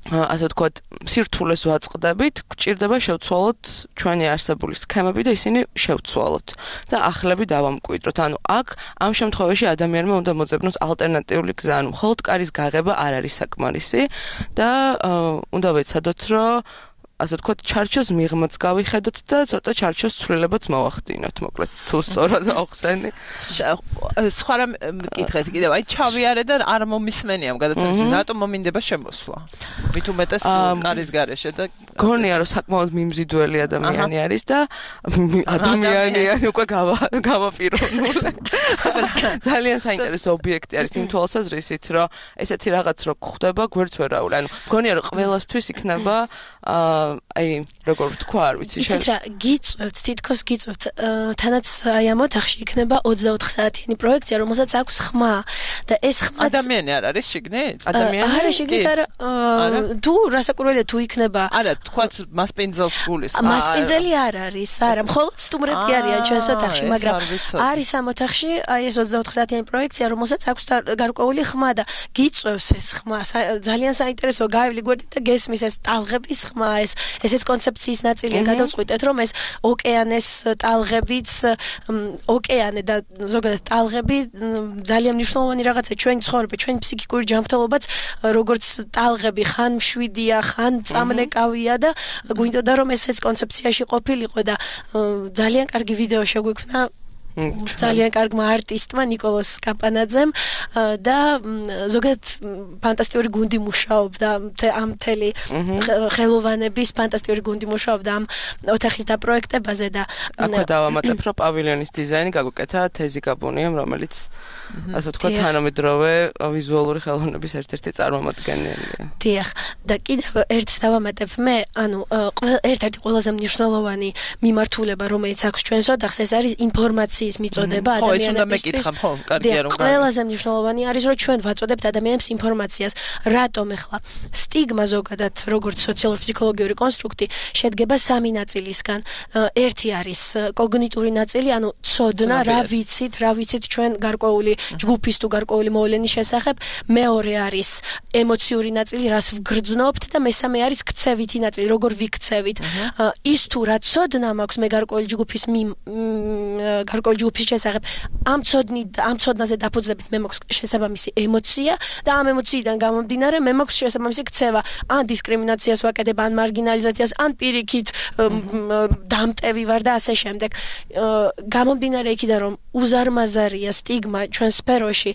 ასე ვთქვათ, სირთულეს ვაწყდებით, გვჭირდება შევცვალოთ ჩვენი არსებული სქემები და ისინი შევცვალოთ და ახლები დავამკვიდროთ. ანუ აქ ამ შემთხვევაში ადამიანმა უნდა მოძებნოს ალტერნატიული გზა, ანუ მხოლოდ კარის გაღება არ არის საკმარისი და უნდა ვეცადოთ, რომ ასე ვთქვათ, ჩარჩოს მიღმაც გავიხედოთ და ცოტა ჩარჩოს ცვლილებაც მოვახდინოთ, მოკლედ, თუ სწორად ავხსენი. სხვა რამ მკითხეთ კიდევ, აი ჩავიარე და არ მომისმენია გადაცემაში, რატომ მომინდება შემოსვლა? მით უმეტეს კარის გარეშე და გონია რომ საკმაოდ მიმზიდველი ადამიანი არის და ადამიანი უკვე გავაპიროვნული. ძალიან საინტერესო ობიექტი არის იმ თვალსაზრისით, რომ ესეთი რაღაც რო გვხვდება, გვერდს ვერავული. ანუ გონია რომ ყველასთვის იქნება აი როგორ ვთქვა, არ ვიცი გიწევთ, თითქოს გიწევთ. თანაც აი ამ ოთახში იქნება 24 საათიანი პროექცია, რომელსაც აქვს ხმა და ეს ხმა ადამიანი არ არის შიგნით? ადამიანი არა შიგნით არა. თუ რასაკურველია თუ იქნება არა, თქვათ მასპინძელს გულის. მასპინძელი არ არის, არა, მხოლოდ სტუმრები არიან ჩვენს ოთახში, მაგრამ არის ამ ოთახში აი ეს 24 საათიანი პროექცია, რომელსაც აქვს გარკვეული ხმა და გიწევს ეს ხმა. ძალიან საინტერესოა, გავივლი გვერდით და გესმის ეს ტალღების ხმა, ესეც კონცეფციის ნაწილია. გადავწყვიტეთ, რომ ეს ოკეანეს ტალღებიც, ოკეანე და ზოგადად ტალღები ძალიან მნიშვნელოვანი რაღაცა ჩვენი ცხოვრება, ჩვენი ფსიქიკური ჯანმრთელობაც, როგორც ტალღები ხან მშვიდია, ხან წამნეკავია და გვინდოდა რომ ესეც კონცეფციაში ყოფილიყო და ძალიან კარგი ვიდეო შეგვიქმნა ძალიან კარგმა არტისტმა ნიკოლოზ კაპანაძემ და ზოგადად ფანტასტიკური გუნდი მუშაობდა ამ მთელი ხელოვანების ფანტასტიკური გუნდი მუშაობდა ამ ოთახის დაპროექტებაზე და აქვე დავამატებ რომ პავილიონის დიზაინი გაგვიკეთა თეზი გაბუნიამ, რომელიც ასე ვთქვათ თანამედროვე ვიზუალური ხელოვნების ერთ-ერთი წარმომადგენელია. დიახ, და კიდევ ერთს დავამატებ მე, ანუ ერთ-ერთი ყველაზე მნიშვნელოვანი მიმართულება, რომელიც აქვს ჩვენს ოთახს, ეს არის ინფორმაციის მიწოდება ადამიანებისთვის. ყველაზე მნიშვნელოვანი არის, რომ ჩვენ ვაწოდებთ ადამიანებს ინფორმაციას. რატომ ახლა სტიგმა ზოგადად, როგორც სოციალურ-ფსიქოლოგიური კონსტრუქტი, შედგება 3 ნაწილისგან. ერთი არის კოგნიტური ნაწილი, ანუ ცოდნა, რა ვიცით ჩვენ გარკვეული ჯგუფის თუ გარკვეული მოვლენის შესახებ. მეორე არის ემოციური ნაწილი, რას ვგრძნობთ და მესამე არის ქცევითი ნაწილი, როგორ ვიქცევით. ის თუ რა ცოდნა მაქვს მე გარკვეული ჯგუფის ჯგუფის შესახებ, ამ ცოდნაზე დაფუძნებით მე მაქვს შესაბამისი ემოცია და ამ ემოციიდან გამომდინარე მე მაქვს შესაბამისი ქცევა, ან დისკრიმინაციას ვაკეთებ, ან მარგინალიზაციას, ან პირიქით დამტევი ვარ და ასე შემდეგ. გამომდინარე იქიდან რომ უზარმაზარია სტიგმა ჩვენ სფეროში,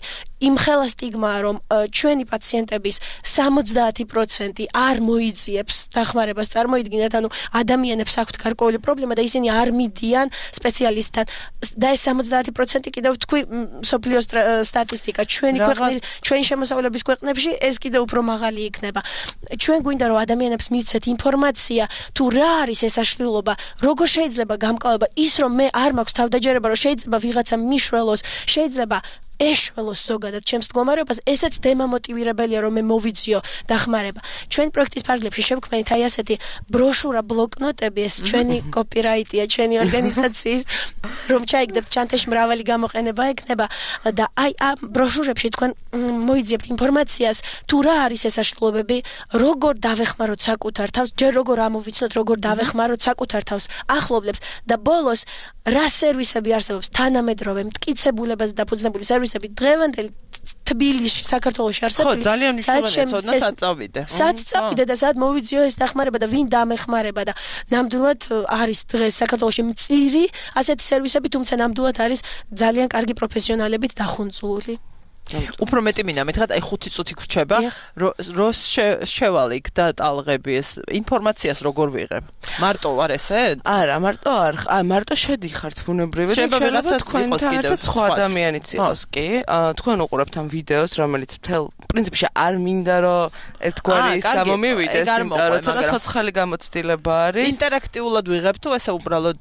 იმხელა სტიგმაა, რომ ჩვენი პაციენტების 70% არ მოიძიებს დახმარებას წარმოიდგინათ, ანუ ადამიანებს აქვთ გარკვეული პრობლემა და ისინი არ მიდიან სპეციალისტთან. და ეს 70% კიდევ თქვი სოფლიოს სტატისტიკა ჩვენი ქვეყნის ჩვენი შემოსავლების ქვეყნებში ეს კიდევ უფრო მაღალი იქნება. ჩვენ გვინდა რომ ადამიანებს მივცეთ ინფორმაცია თუ რა არის ეს საშუალება, როგორ შეიძლება გამკლავება ის რომ მე არ მაქვს თავდაჯერება რომ შეიძლება ვიღაცა მიშველოს, შეიძლება ეშველოს ზოგადად ჩემს მდგომარეობას, ესეც დემამოტივირებელია რომ მე მოვიძიო დახმარება. ჩვენ პროექტის ფარგლებში შევქმნით აი ასეთი ბროშურა, ბლოკნოტები, ეს ჩვენი კოპირაიტია, ჩვენი ორგანიზაციის, რომ ჩაიგდებთ ჩანთაში მრავალი გამოყენება ექნება და აი ამ ბროშურებში თქვენ მოიძიებთ ინფორმაციას, თუ რა არის ეს საშუალებები, როგორ დავეხმაროთ საკუთარ თავს, ჯერ როგორ ამოვიცნოთ, როგორ დავეხმაროთ საკუთარ თავს ახლობლებს და ბოლოს რა სერვისები არსებობს თანამედროვე მტკიცებულებაზე დაფუძნებული სერვისები დღევანდელი თბილისში, საქართველოში არსებული. ხო, ძალიან მნიშვნელოვანია ცოდნა სად წავიდე. სად წავიდე და სად მოვიძიო ეს დახმარება და ვინ დამეხმარება და ნამდვილად არის დღეს საქართველოში მწირი ასეთი სერვისები, თუმცა ნამდვილად არის ძალიან კარგი პროფესიონალებით დახუნწული. უფრო მეტი მინდა მითხრათ, აი 5 წუთი გრჩება, რო შევალიქ და ტალღები ეს ინფორმაციას როგორ ვიღებ? მარტო არ ესე? არა, მარტო არ, მარტო შედიხართ ბუნებრივად, შეიძლება თქვენთან ერთად სხვა ადამიანიც იყოს კი. თქვენ უყურებთ ამ ვიდეოს, რომელიც მთელ პრინციპში არ მინდა რომ ერთგვარი ის გამომივიდეს, იმიტომ რომ ცოტა ცოცხალი გამოცდილება არის. ინტერაქტიულად ვიღებ თუ ესე უბრალოდ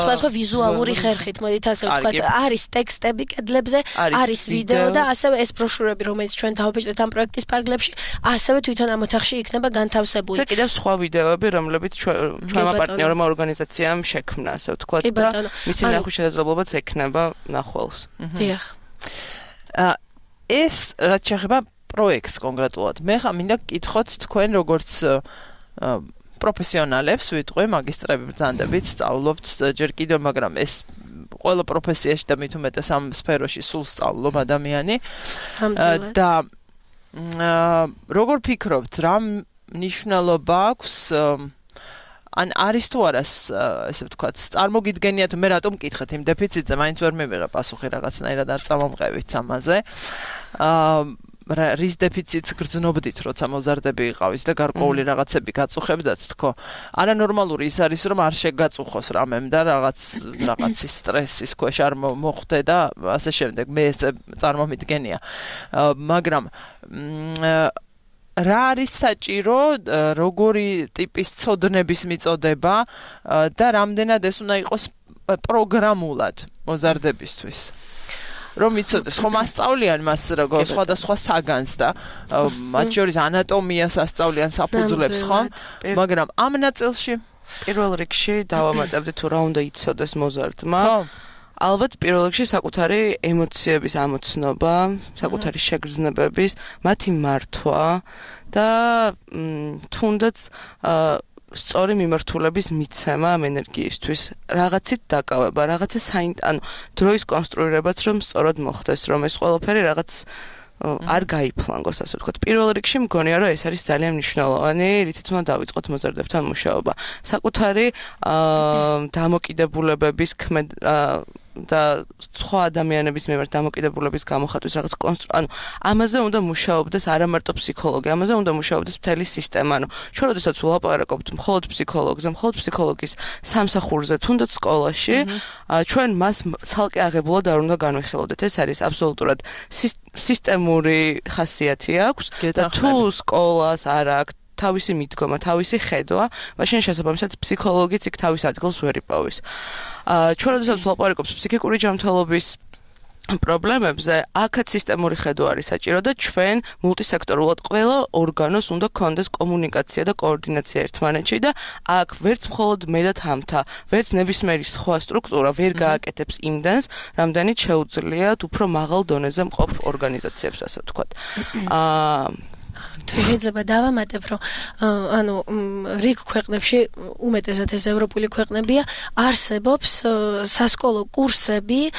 სხვა ვიზუალური ხერხით, მოდით ასე ვთქვათ, არის ტექსტები კედლებზე, არის ვიდეო და ასევე ეს ბროშურები, რომელიც ჩვენ დავაბეჭდეთ ამ პროექტის ფარგლებში, ასევე თვითონ ამ ოთახში იქნება განთავსებული. და კიდევ სხვა ვიდეოები, რომლებიც ჩვენმა პარტნიორმა ორგანიზაციამ შექმნა, ასე ვთქვათ და მისი ნახვის შესაძლებლობაც ექნება ნახველს. დიახ. ეს რაც შეეხება პროექტს კონკრეტულად. მე ხა მინდა გკითხოთ თქვენ როგორც პროფესიონალებს, ვიტყვი მაგისტრები ბრძანდებით, სწავლობთ ჯერ კიდევ, მაგრამ ეს ყველა პროფესიაში და მით უმეტეს ამ სფეროში სულ სწავლობ ადამიანი. და როგორ ფიქრობთ, რა მნიშვნელობა აქვს ან არის თუ არა ესე ვთქვათ, წარმოგიდგენიათ მე რატომ მკითხეთ იმ დეფიციტზე, მაინც ვერ მივიღე პასუხი რაღაცნაირად არ წამომყევით ამაზე. რის დეფიციტს გრძნობდით, როცა მოზარდები იყავით და გარკვეული რაღაცები გაწუხებდათ, თქო. არანორმალური ის არის, რომ არ შეგაწუხოს რამემ და რაღაცის სტრესის ქვეშ არ მოხვდე და ასე შემდეგ. მე ესე წარმომიდგენია. მაგრამ რა არის საჭირო, როგორი ტიპის ცოდნების მიწოდება და რამდენად ეს უნდა იყოს პროგრამულად მოზარდებისთვის. რომ იცოდეს, ხომ ასწავლიან მას როგორ სხვადასხვა საგანს და მათ შორის ანატომიას ასწავლიან საფუძვლებს, ხომ? მაგრამ ამ ნაწილში პირველ რიგში დავამატებდი თუ რა უნდა იცოდეს მოზარდმა. ალბათ პირველ რიგში საკუთარი ემოციების ამოცნობა, საკუთარი შეგრძნებების, მათი მართვა და თუნდაც სწორი მიმართულების მიცემა ამ ენერგიისთვის, რაღაცით დაკავება, რაღაცა ანუ დროის კონსტრუირებაც რომ სწორად მოხდეს, რომ ეს ყველაფერი რაღაც არ გაიფლანგოს, ასე ვთქვათ. პირველ რიგში მგონია, რომ ეს არის ძალიან მნიშვნელოვანი, რითიც უნდა დავიწყოთ მოზარდებთან მუშაობა. საკუთარი დამოკიდებულებების და სხვა ადამიანების მიმართ დამოკიდებულების გამოხატვის რაღაც ანუ ამაზე უნდა მუშაობდეს არა მარტო ფსიქოლოგი, ამაზე უნდა მუშაობდეს მთელი სისტემა. ანუ ჩვენ როდესაც ვლაპარაკობთ მხოლოდ ფსიქოლოგზე, მხოლოდ ფსიქოლოგის სამსახურზე, თუნდაც სკოლაში, ჩვენ მას ცალკე აღებულად არ უნდა განვიხილავდეთ. ეს არის აბსოლუტურად სისტემური ხასიათი აქვს და თუ სკოლას არ აქვს თავისი მიდგომა, თავისი ხედვა, მაშინ შესაბამისად ფსიქოლოგიც იქ თავის ადგილს ვერ იპოვის. ჩვენ როდესაც ვლაპარაკობთ ფსიქიკური ჯანმრთელობის პრობლემებზე, აქაც სისტემური ხედვა არის საჭირო და ჩვენ მულტისექტორულად ყველა ორგანოს უნდა გქონდეს კომუნიკაცია და კოორდინაცია ერთმანეთში და აქ ვერც მხოლოდ მე და თამთა, ვერც ნებისმიერი სხვა სტრუქტურა ვერ გააკეთებს იმდენს, რამდენიც შეუძლიათ უფრო მაღალ დონეზე მყოფ ორგანიზაციებს, ასე ვთქვათ. თუ შეიძლება დავამატებ, რომ ანუ რიგ ქვეყნებში, უმეტესად ეს ევროპული ქვეყნებია, არსებობს სასკოლო კურსები,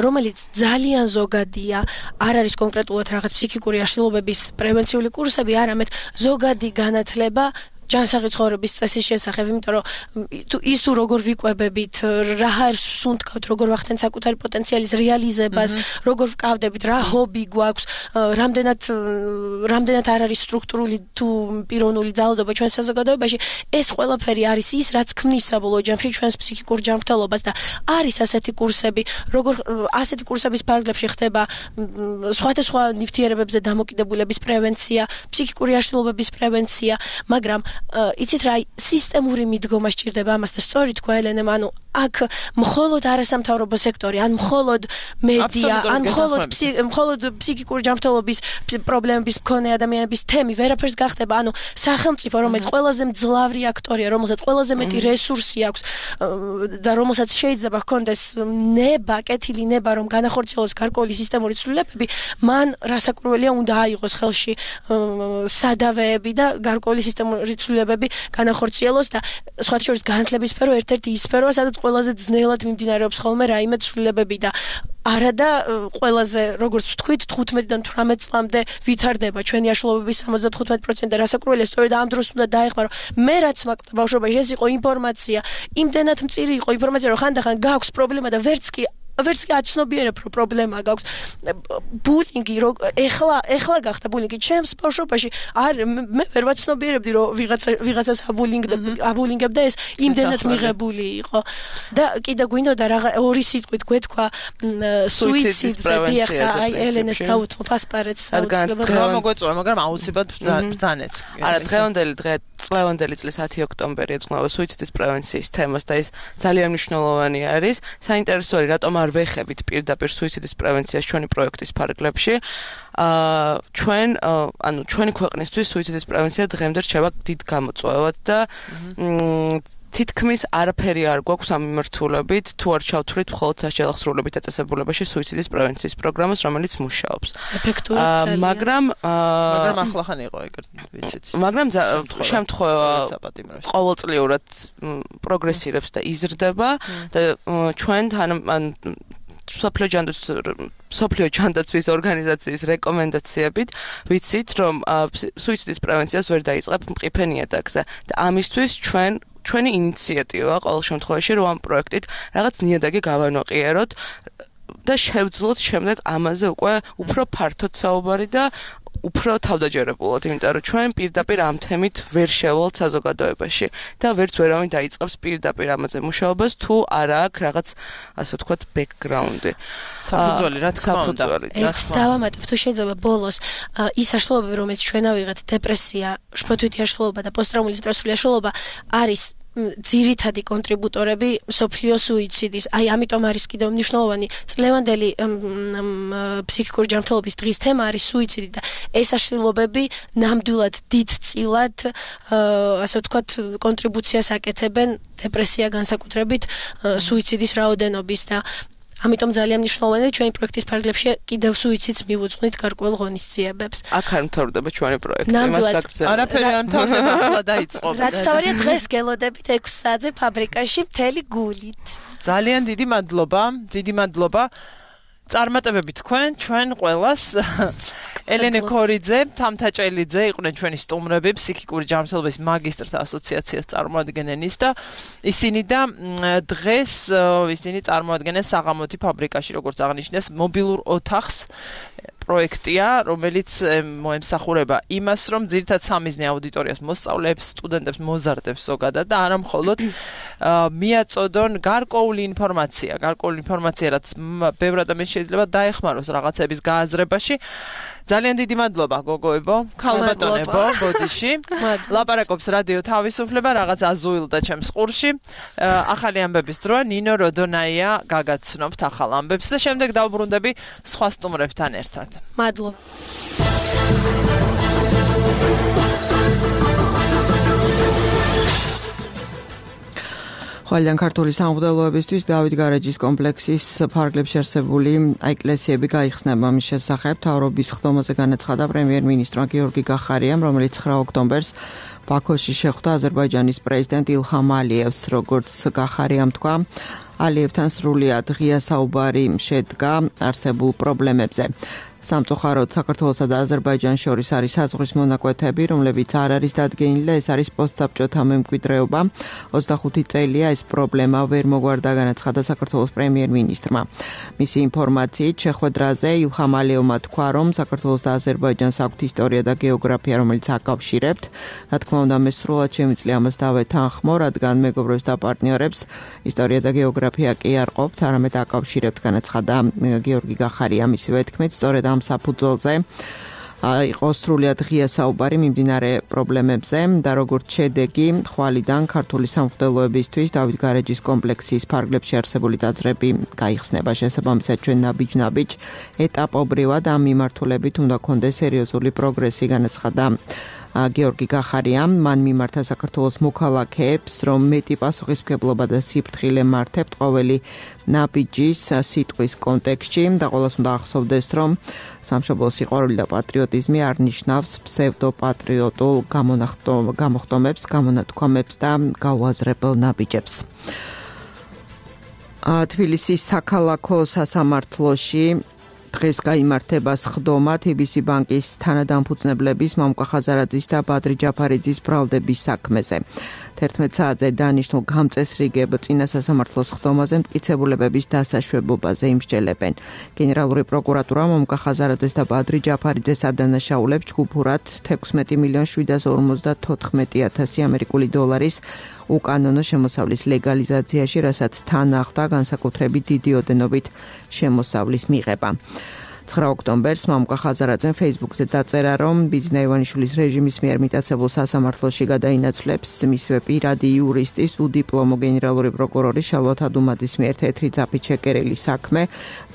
რომელიც ძალიან ზოგადია, არ არის კონკრეტულად რაღაც ფსიქიკური აშლილობების პრევენციული კურსები, არამედ ზოგადი განათლება ჯანსაღი ცხოვრების წესის შესახებ, იმიტომ რომ ის თუ როგორ ვიკვებებით, რა არის სუნთქავთ, როგორ ვახდენთ საკუთარი პოტენციალის რეალიზებას, როგორ ვკავდებით, რა ჰობი გვაქვს, რამდენად არ არის სტრუქტურული თუ პიროვნული ძალადობა ჩვენს საზოგადოებაში, ეს ყველაფერი არის ის, რაც ქმნის საბოლოო ჯამში ჩვენს ფსიქიკურ ჯანმრთელობას და არის ასეთი კურსები, როგორ ასეთი კურსების ფარგლებში ხდება სხვადასხვა ნივთიერებებზე დამოკიდებულების პრევენცია, ფსიქიკური აშლილობების პრევენცია, მაგრამ იცით რა, სისტემური მიდგომა სჭირდება ამას და სწორი თქვა ელენემ, ანუ აქ მხოლოდ არასამთავრობო სექტორი, ან მხოლოდ მედია, ან მხოლოდ ფსიქიკური ჯანმრთელობის პრობლემების მქონე ადამიანების თემი ვერაფერს გახდება, ანუ სახელმწიფო, რომელიც ყველაზე მძლავრი აქტორია, რომელსაც ყველაზე მეტი რესურსი აქვს და რომელსაც შეიძლება ჰქონდეს კეთილი ნება, რომ განახორციელოს გარკვეული სისტემური ცვლილებები, მან რასაკვირველია უნდა აიღოს ხელში სადავეები და გარკვეული სისტემური ცვლილებები განახორციელოს და სხვათა შორის განათლების სფერო ერთ-ერთი ის სფეროა, სადაც ყველაზე ძნელად მიმდინარეობს ხოლმე რაიმე ცვლილებები და არადა ყველაზე, როგორც ვთქვით, 15-დან 18 წლამდე ვითარდება ჩვენი აშლილობების 75% და რასაკვირველია, სწორედ ამ დროს უნდა დაეხმარო. მე რაც მაქვს ბავშვობაში, ეს იყო ინფორმაცია, იმდენად მწირი იყო ინფორმაცია, რომ ხანდახან გაქვს პრობლემა და ვერც კი აცნობიერებ, რომ პრობლემა გაქვს. ბულინგი, ეხლა გახდა ბულინგი ჩემს ბავშვობაში, მე ვერ ვაცნობიერებდი, რომ ვიღაცას აბულინგებდა, ეს იმდენად მიღებული იყო. და კიდე გვინდოდა ორი სიტყვით გვეთქვა სუიციდზე, დიახ, აი ელენეს დაუთმობ ასპარეთს საუბრობთ. მოგვეწონა, მაგრამ აუცილებლად ბრძანეთ. არა, წლევანდელი წლის 10 ოქტომბერი ეძღვნება სუიციდის პრევენციის თემას და ის ძალიან მნიშვნელოვანი არის. საინტერესოა, რატომ არ ვეხებით პირდაპირ სუიციდის პრევენციას ჩვენი პროექტის ფარგლებში. ჩვენი ქვეყნისთვის სუიციდის პრევენცია დღემდე რჩება დიდ გამოწვევად და თითქმის არაფერი არ გვაქვს ამ მიმართულებით, თუ არ ჩავთვლით მხოლოდ სასჯელო აღსრულებით დაწესებულებაში სუიციდის პრევენციის პროგრამას, რომელიც მუშაობს. ეფექტურად, მაგრამ ახლახან იყო ეგრეთ, ვიცით. მაგრამ შემთხვევა ყოველწლიურად პროგრესირებს და იზრდება და ჩვენ სოფლიო ჯანდაცვის ორგანიზაციის რეკომენდაციებით ვიცით, რომ სუიციდის პრევენციას ვერ დაიწყებთ მყიფე ნიადაგზე და ამისთვის ჩვენი ინიციატივა ყოველ შემთხვევაში რომ ამ პროექტით რაღაც ნიადაგი გავანოყიეროთ და შევძლოთ შემდეგ ამაზე უკვე უფრო ფართოდ საუბარი და უფრო თავდაჯერებულად, იმიტომ რომ ჩვენ პირდაპირ ამ თემით ვერ შევალთ საზოგადოებაში და ვერც ვერავინ დაიწყებს პირდაპირ ამაზე მუშაობას, თუ არა აქვს რაღაც, ასე ვთქვათ, ბექგრაუნდი. საფუძველი, რა თქმა უნდა. ერთს დავამატებ, თუ შეიძლება ბოლოს ის აშლილობები, რომელიც ჩვენ ავიღეთ, დეპრესია, შფოთვითი აშლილობა და პოსტტრაუმული სტრესული აშლილობა არის ძირითადი კონტრიბუტორები სოფლიო სუიციდის. აი, ამიტომ არის კიდევ მნიშვნელოვანი წლევანდელი ფსიქიკური ჯანმრთელობის დღის თემა არის სუიციდი და ეს აშლილობები ნამდვილად დიდწილად, ასე ვთქვათ, კონტრიბუციას აკეთებენ დეპრესია განსაკუთრებით სუიციდის რაოდენობის და ამიტომ ძალიან მნიშვნელოვანია ჩვენი პროექტის ფარგლებში კიდევ სუიციდს მივუძღვნით გარკვეულ ღონისძიებებს. აქ არ მთავრდება ჩვენი პროექტი, მას გაგრძელდება. არაფერი არ მთავრდება, ახლა დაიწყო. რაც თავარია დღეს გელოდებით 6 საათზე ფაბრიკაში მთელი გულით. ძალიან დიდი მადლობა. წარმატებები ჩვენ ყველას. ელენე ქორიძე, თამთაჭელიძე იყვნენ ჩვენი სტუმრები, ფსიქიკური ჯანმრთელობის მაგისტრთა ასოციაციას წარმოადგენენის და ისინი წარმოადგენენ საღამოთი ფაბრიკაში, როგორც აღნიშნეს, მობილურ ოთახს პროექტია, რომელიც მოემსახურება იმას, რომ ძირითადად სამიზნე აუდიტორიას მოსწავლეებს, სტუდენტებს, მოზარდებს ზოგადად და არა მხოლოდ მიაწოდონ გარკვეული ინფორმაცია, რაც ბევრ ადამიანს შეიძლება დაეხმაროს რაღაცების გააზრებაში. ძალიან დიდი მადლობა გოგოებო, ქალბატონებო, ბოდიში. ლაპარაკობს რადიო თავისუფლება, რაღაც აზუილდა ჩემს ყურში. ახალი ამბების დროა, ნინო როდონაია გაგაცნობთ ახალ ამბებს და შემდეგ დავბრუნდები სხვა სტუმრებთან ერთად. მადლობა. ხვალიდან ქართული სამღვდელოებისთვის დავით გარეჯის კომპლექსის ფარგლებში არსებული ეკლესიები გაიხსნება. მის შესახებ მთავრობის ხდომაზე განაცხადა პრემიერ-მინისტრმა გიორგი გახარიამ, რომელიც 9 ოქტომბერს ბაქოში შეხვდა აზერბაიჯანის პრეზიდენტ ილჰამ ალიევს, როგორც გახარიამ თქვა, ალიევთან სრულიად ღია საუბარი შედგა არსებულ პრობლემებზე. სამწუხაროდ საქართველოსა და აზერბაიჯანს შორის არის საზღვრის მონაკვეთები, რომლებიც არ არის დადგენილი და ეს არის პოსტსაბჭოთა მემკვიდრეობა. 25 წელია ეს პრობლემა ვერ მოგვარდა, განაცხადა საქართველოს პრემიერ-მინისტრმა. მისი ინფორმაციით შეხვედრაზე ილჰამ ალიევმა თქვა, რომ საქართველოს და აზერბაიჯანს აქვთ ისტორია და გეოგრაფია, რომელიც აკავშირებთ. რა თქმა უნდა, მე სრულად შემიძლია ამას დავეთანხმო, რადგან მეგობრებს და პარტნიორებს ისტორია და გეოგრაფია კი არ ყოფთ, არამედ აკავშირებთ, განაცხადა გიორგი გახარია. მისივე თქმით, სწორედ ამ საფუძველზე იყო სრულიად ღია საუბარი მიმდინარე პრობლემებზე და როგორც შედეგი ხვალიდან ქართული სამღვდელოებისთვის დავით გარეჯის კომპლექსის ფარგლებში არსებული ტაძრები გაიხსნება. შესაბამისად ჩვენ ნაბიჯ ეტაპობრივად ამ მიმართულებით უნდა გქონდეს სერიოზული პროგრესი, განაცხადა გიორგი გახარიამ. მან მიმართა საქართველოს მოქალაქეებს, რომ მეტი პასუხისმგებლობა და სიფრთხილე მართებთ ყოველი ნაბიჯის სიტყვის კონტექსტში და ყოველას უნდა ახსოვდეს, რომ სამშობლოს სიყვარული და პატრიოტიზმი არ ნიშნავს ფსევდოპატრიოტულ გამოხტომებს, გამონათქვამებს და გაუაზრებელ ნაბიჯებს. თბილისის საქალაქო სასამართლოში დღეს გაიმართება სხდომა TBC ბანკის თანადამფუძნებლების მამუკა ხაზარაძის და ბადრი ჯაფარიძის ბრალდების საქმეზე. 11 საათზე დანიშნულ გამწესრიგებ წინა სასამართლოს სხდომაზე მტკიცებულებების დასაშვებობაზე იმსჯელებენ. გენერალური პროკურატურა მამუკა ხაზარაძეს და ბადრი ჯაფარიძეს ადანაშაულებს ჯგუფურად 16,754,000 ამერიკული დოლარის უკანონო შემოსავლის ლეგალიზაციაში, რასაც თან ახლდა განსაკუთრებით დიდი ოდენობით შემოსავლის მიღება. 9 ოქტომბერს მამუკა ხაზარაძემ Facebook-ზე დაწერა, რომ ბიძინა ივანიშვილის რეჟიმის მიერ მიტაცებულ სასამართლოში გადაინაცვლებს მისვე პირადი იურისტის უდიპლომო გენერალური პროკურორი შალვა თადუმაძის მიერ თეთრი ძაფით შეკერილი საქმე,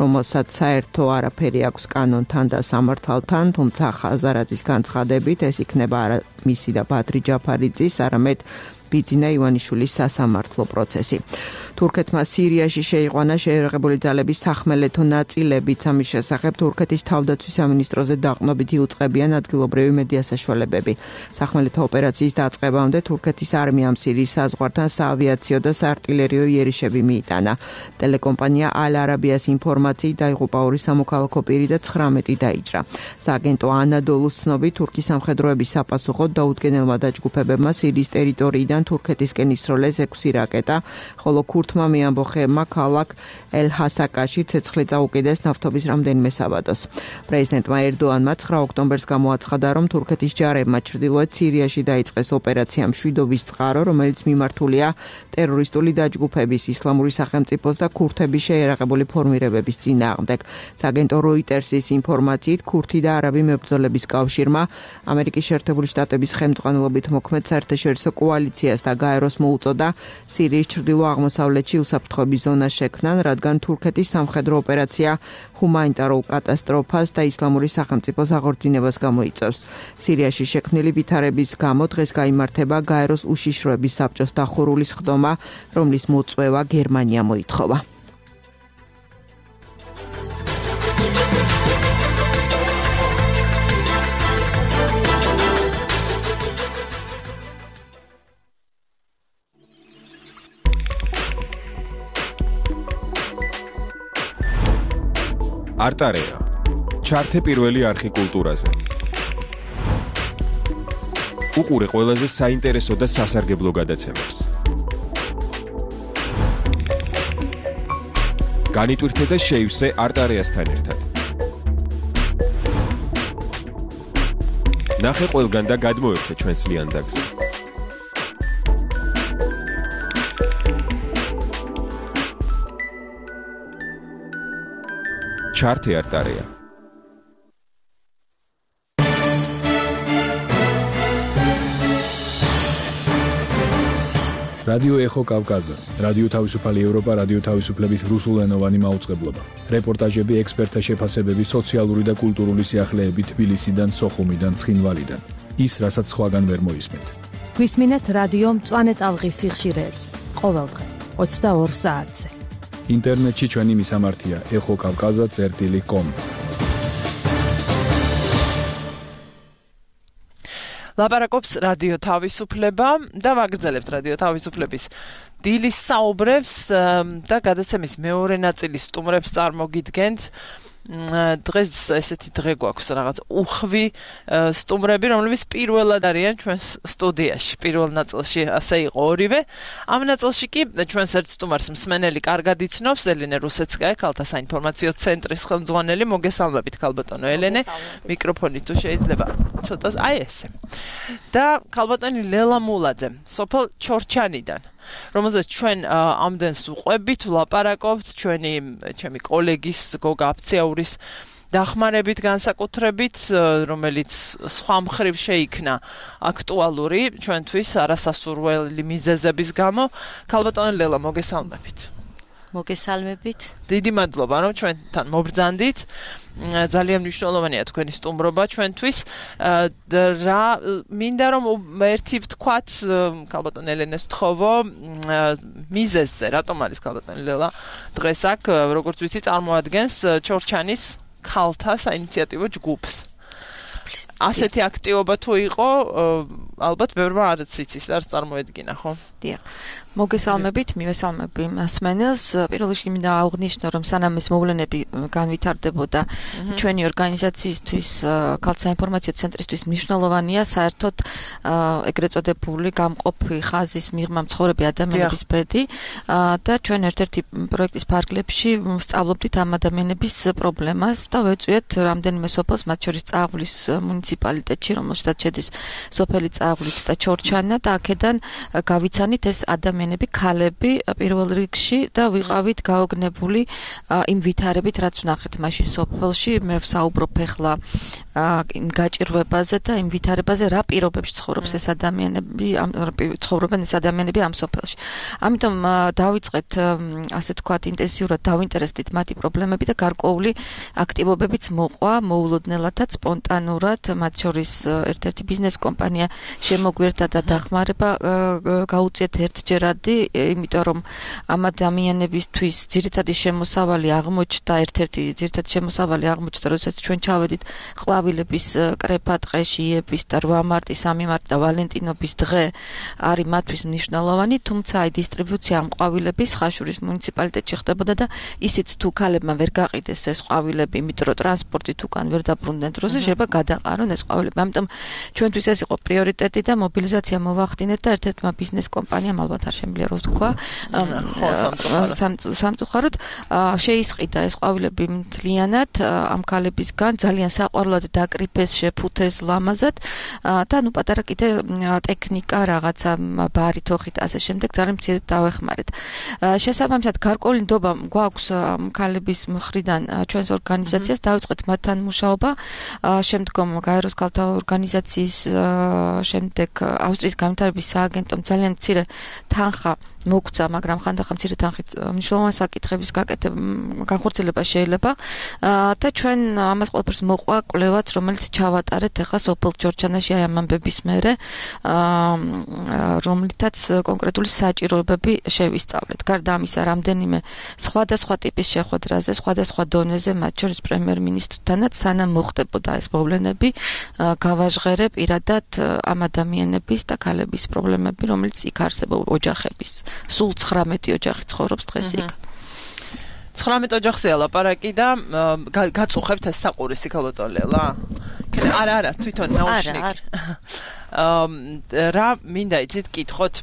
რომელსაც საერთო არაფერი აქვს კანონთან და სამართალთან, თუმცა ხაზარაძის განცხადებით ეს იქნება არა მისი და ბადრი ჯაფარიძის, არამედ ბიძინა ივანიშვილის სასამართლო პროცესი. თურქეთმა სირიაში შეიყვანა შეერაღებული ძალების სახმელეთო ნაწილებიც, ამის შესახებ თურქეთის თავდაცვის სამინისტროზე დაყრდნობით იუწყებიან ადგილობრივი მედია საშუალებები. სახმელეთო ოპერაციის დაწყებამდე თურქეთის არმიამ სირიის საზღვართან საავიაციო და საარტილერიო იერიშები მიიტანა. ტელეკომპანია ალ-არაბიას ინფორმაციით დაიღუპა 2 სამოქალაქო პირი და 19 დაიჭრა. სააგენტო ანადოლუს ცნობით, თურქის სამხედროების საპასუხოდ დაუდგენელმა დაჯგუფებებმა სირიის ტერიტორიიდან თურქეთისკენ ისროლეს 6 რაკეტა, ხოლო ქურთმა მეამბოხეებმა ქალაქ ელ-ჰასაკაში ცეცხლი წაუკიდეს ნავთობის რამდენიმე საბადოს. პრეზიდენტმა ერდოანმა 9 ოქტომბერს გამოაცხადა, რომ თურქეთის ჯარებმა ჩრდილოეთ სირიაში დაიწყეს ოპერაცია მშვიდობის წყარო, რომელიც მიმართულია ტერორისტული დაჯგუფების, ისლამური სახელმწიფოს და ქურთების შეერაღებული ფორმირებების წინააღმდეგ. სააგენტო როიტერსის ინფორმაციით, ქურთი და არაბი მებრძოლების კავშირმა ამერიკის შეერთებული შტატების ხელმძღვანელობით მოქმედ საერთაშორისო კოალიციას და გაეროს მოუწოდა სირიის ჩრდილო-აღმოსავლეთში უსაფრთხოების ზონა შექმნან, რადგან თურქეთის სამხედრო ოპერაცია ჰუმანიტარულ კატასტროფას და ისლამური სახელმწიფოს აღორძინებას გამოიწვევს. სირიაში შექმნილი ვითარების გამო დღეს გაიმართება გაეროს უშიშროების საბჭოს დახურული სხდომა, რომლის მოწვევა გერმანია მოითხოვა. არტარეა. ჩართე პირველი არხი კულტურაზე. უყურე ყველაზე საინტერესო და სასარგებლო გადაცემებს. განიტვირთე და შეივსე არტარეასთან ერთად. ნახე ყველგან და გადმოერთე ჩვენს ლიანდაგზე. ჩართე არტარეა. რადიო ეხო კავკაზა, რადიო თავისუფალი ევროპა, რადიო თავისუფლების რუსულენოვანი მაუწყებლობა. რეპორტაჟები, ექსპერტთა შეფასებები, სოციალური და კულტურული სიახლეები თბილისიდან, სოხუმიდან, ცხინვალიდან. ის, რასაც სხვაგან ვერ მოისმენთ. გვისმინეთ რადიო მწვანე ტალღის სიხშირეებს ყოველდღე 22 საათზე. ინტერნეტში ჩვენი მისამართია ეხოკavkaza.com. ლაპარაკობს რადიო თავისუფლება და ვაგრძელებთ რადიო თავისუფლების დილის საუბრებს და გადაცემის მეორე ნაწილის სტუმრებს წარმოგიდგენთ. დღეს ესეთი დღე გვაქვს რაღაც უხვი სტუმრები, რომლებიც პირველად არიან ჩვენს სტუდიაში. პირველ ნაწილში ასე იყო ორივე. ამ ნაწილში კი ჩვენს ერთ სტუმარს მსმენელი კარგად იცნობს, ელენე რუსეცკაია, ქალთა საინფორმაციო ცენტრის ხელმძღვანელი. მოგესალმებით, ქალბატონო ელენე. მიკროფონი თუ შეიძლება ცოტა აი ესე. და ქალბატონი ლელა მულაძე, სოფელ ჩორჩანიდან. რომელზეც ჩვენ ამდენს უყვებით, ვლაპარაკობთ ჩემი კოლეგის გოგა აფციაურის დახმარებით განსაკუთრებით, რომელიც სხვა მხრივ შეიქნა აქტუალური ჩვენთვის არასასურველი მიზეზების გამო. ქალბატონო ლელა, მოგესალმებით. მოგესალმებით. დიდი მადლობა, რომ ჩვენთან მობრძანდით. ძალიან მნიშვნელოვანია თქვენი სტუმრობა ჩვენთვის. რა მინდა რომ ერთი ვთქვათ, ქალბატონ ელენეს ვთხოვო მიზეზზე, რატომ არის ქალბატონი ლელა დღეს აქ, როგორც ვიცი, წარმოადგენს ჩორჩანის ქალთა საინიციატივო ჯგუფს. ასეთი აქტივობა თუ იყო, ალბათ ბევრმა არც იცის, არც წარმოედგინა, ხო? დიახ. მოგესალმებით, მივესალმები მასმენელს. პირველ რიგში მინდა აღვნიშნო, რომ სანამ ეს მოვლენები განვითარდებოდა, ჩვენი ორგანიზაციისთვის, ქალთა საინფორმაციო ცენტრისთვის მნიშვნელოვანია საერთოდ ეგრეთ წოდებული გამყოფი ხაზის მიღმა მცხოვრები ადამიანების ბედი და ჩვენ ერთ-ერთი პროექტის ფარგლებში ვსწავლობდით ამ ადამიანების პრობლემას და ვეწვიეთ რამდენიმე სოფელს, მათ შორის წაღვლის მუნიციპალიტეტში, რომელშიც შედის სოფელი წაღვლიც და ჩორჩანა და აქედან გავიცანით ეს ადამიანები, ქალები პირველ რიგში და ვიყავით გაოგნებული იმ ვითარებით, რაც ვნახეთ მაშინ სოფელში. მე ვსაუბრობ ახლა იმ გაჭირვებაზე და იმ ვითარებაზე, რა პირობებში ცხოვრობს ეს ადამიანები, ცხოვრობენ ეს ადამიანები ამ სოფელში. ამიტომ დავიწყეთ, ასე თქვათ, ინტენსიურად დავინტერესდით მათი პრობლემები და გარკვეული აქტივობებიც მოყვა, მოულოდნელადაც, სპონტანურად, მათ შორის ერთ-ერთი ბიზნეს კომპანია შემოგვერთა და დახმარება გაუწიეთ ერთჯერადი, იმიტომ რომ ამ ადამიანებისთვის ძირითადი შემოსავალი აღმოჩნდა, ერთ-ერთი ძირითადი შემოსავალი აღმოჩნდა, როდესაც ჩვენ ჩავედით ყვავილების კრეფა ტყეში, იების და 8 მარტის, 3 მარტი და ვალენტინობის დღე არის მათთვის მნიშვნელოვანი, თუმცა აი დისტრიბუცია ამ ყვავილების ხაშურის მუნიციპალიტეტში ხდებოდა და ისიც თუ ქალებმა ვერ გაყიდეს ეს ყვავილები, იმიტომ რომ ტრანსპორტით უკან ვერ დაბრუნდნენ დროზე, შეიძლება გადაყარონ ეს ყვავილები. ამიტომ ჩვენთვის ეს იყო პრიორიტეტი და მობილიზაცია მოვახდინეთ და ერთ-ერთმა ბიზნეს კომპანიამ, ალბათ არ შემიძლია რომ ვთქვა, სამწუხაროდ შეისყიდა ეს ყვავილები მთლიანად ამ ქალებისგან, ძალიან საყვარლად დაკრიფეს, შეფუთეს ლამაზად და ნუ პატარა კიდე ტექნიკა, რაღაცა ბარი, თოხით, ასე შემდეგ ძალიან მცირედ დავეხმარეთ. შესაბამისად, გარკვეული ნდობა გვაქვს ქალების მხრიდან ჩვენს ორგანიზაციას, დავიწყეთ მათთან მუშაობა, შემდგომ გაეროს ქალთა ორგანიზაციის, შემდეგ ავსტრიის განვითარების სააგენტომ ძალიან მცირე თანხა მოგცა, მაგრამ ხანდახან მცირე თანხით მნიშვნელოვანი საკითხების განხორციელება შეიძლება და ჩვენ ამას ყველაფერს მოყვა კვლევაც, რომელიც ჩავატარეთ ახლა სოფელ ჩორჩანაში აი ამ ამბების მერე, რომლითაც კონკრეტული საჭიროებები შევისწავლეთ. გარდა ამისა, რამდენიმე სხვადასხვა ტიპის შეხვედრაზე, სხვადასხვა დონეზე, მათ შორის პრემიერ-მინისტრთანაც, სანამ მოხდებოდა ეს მოვლენები, გავაჟღერე პირადად ამ ადამიანების და ქალების პრობლემები, რომელიც იქ არსებობს ოჯახების. სულ 19 ოჯახი ცხოვრობს დღეს იქ. 19 ოჯახზეა ლაპარაკი და გაწუხებთ ეს საყურისი ქალბატონ ლელა? არა, თვითონ ნაუშნიკი. რა მინდა იცით კითხოთ?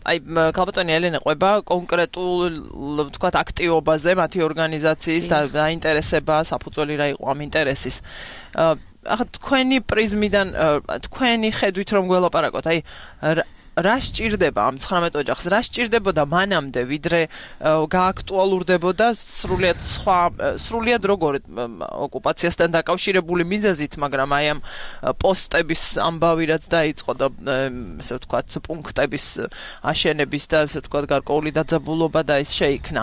აი ქალბატონი ელენე ყვება კონკრეტულ, ვთქვათ, აქტივობაზე, მათი ორგანიზაციის და დაინტერესება, საფუძველი რა იყო ამ ინტერესის. ახლა თქვენი პრიზმიდან, თქვენი ხედვით რომ გველაპარაკოთ, აი რა სჭირდება ამ 19 ოჯახს, რა სჭირდებოდა მანამდე, ვიდრე გააქტუალურდებოდა სრულიად როგორ ოკუპაციასთან დაკავშირებული მიზეზით, მაგრამ აი ამ პოსტების ამბავი რაც დაიწყო და ესე ვთქვათ, პუნქტების აშენების და ესე ვთქვათ, გარკვეული დაძაბულობა და ეს შეიქმნა.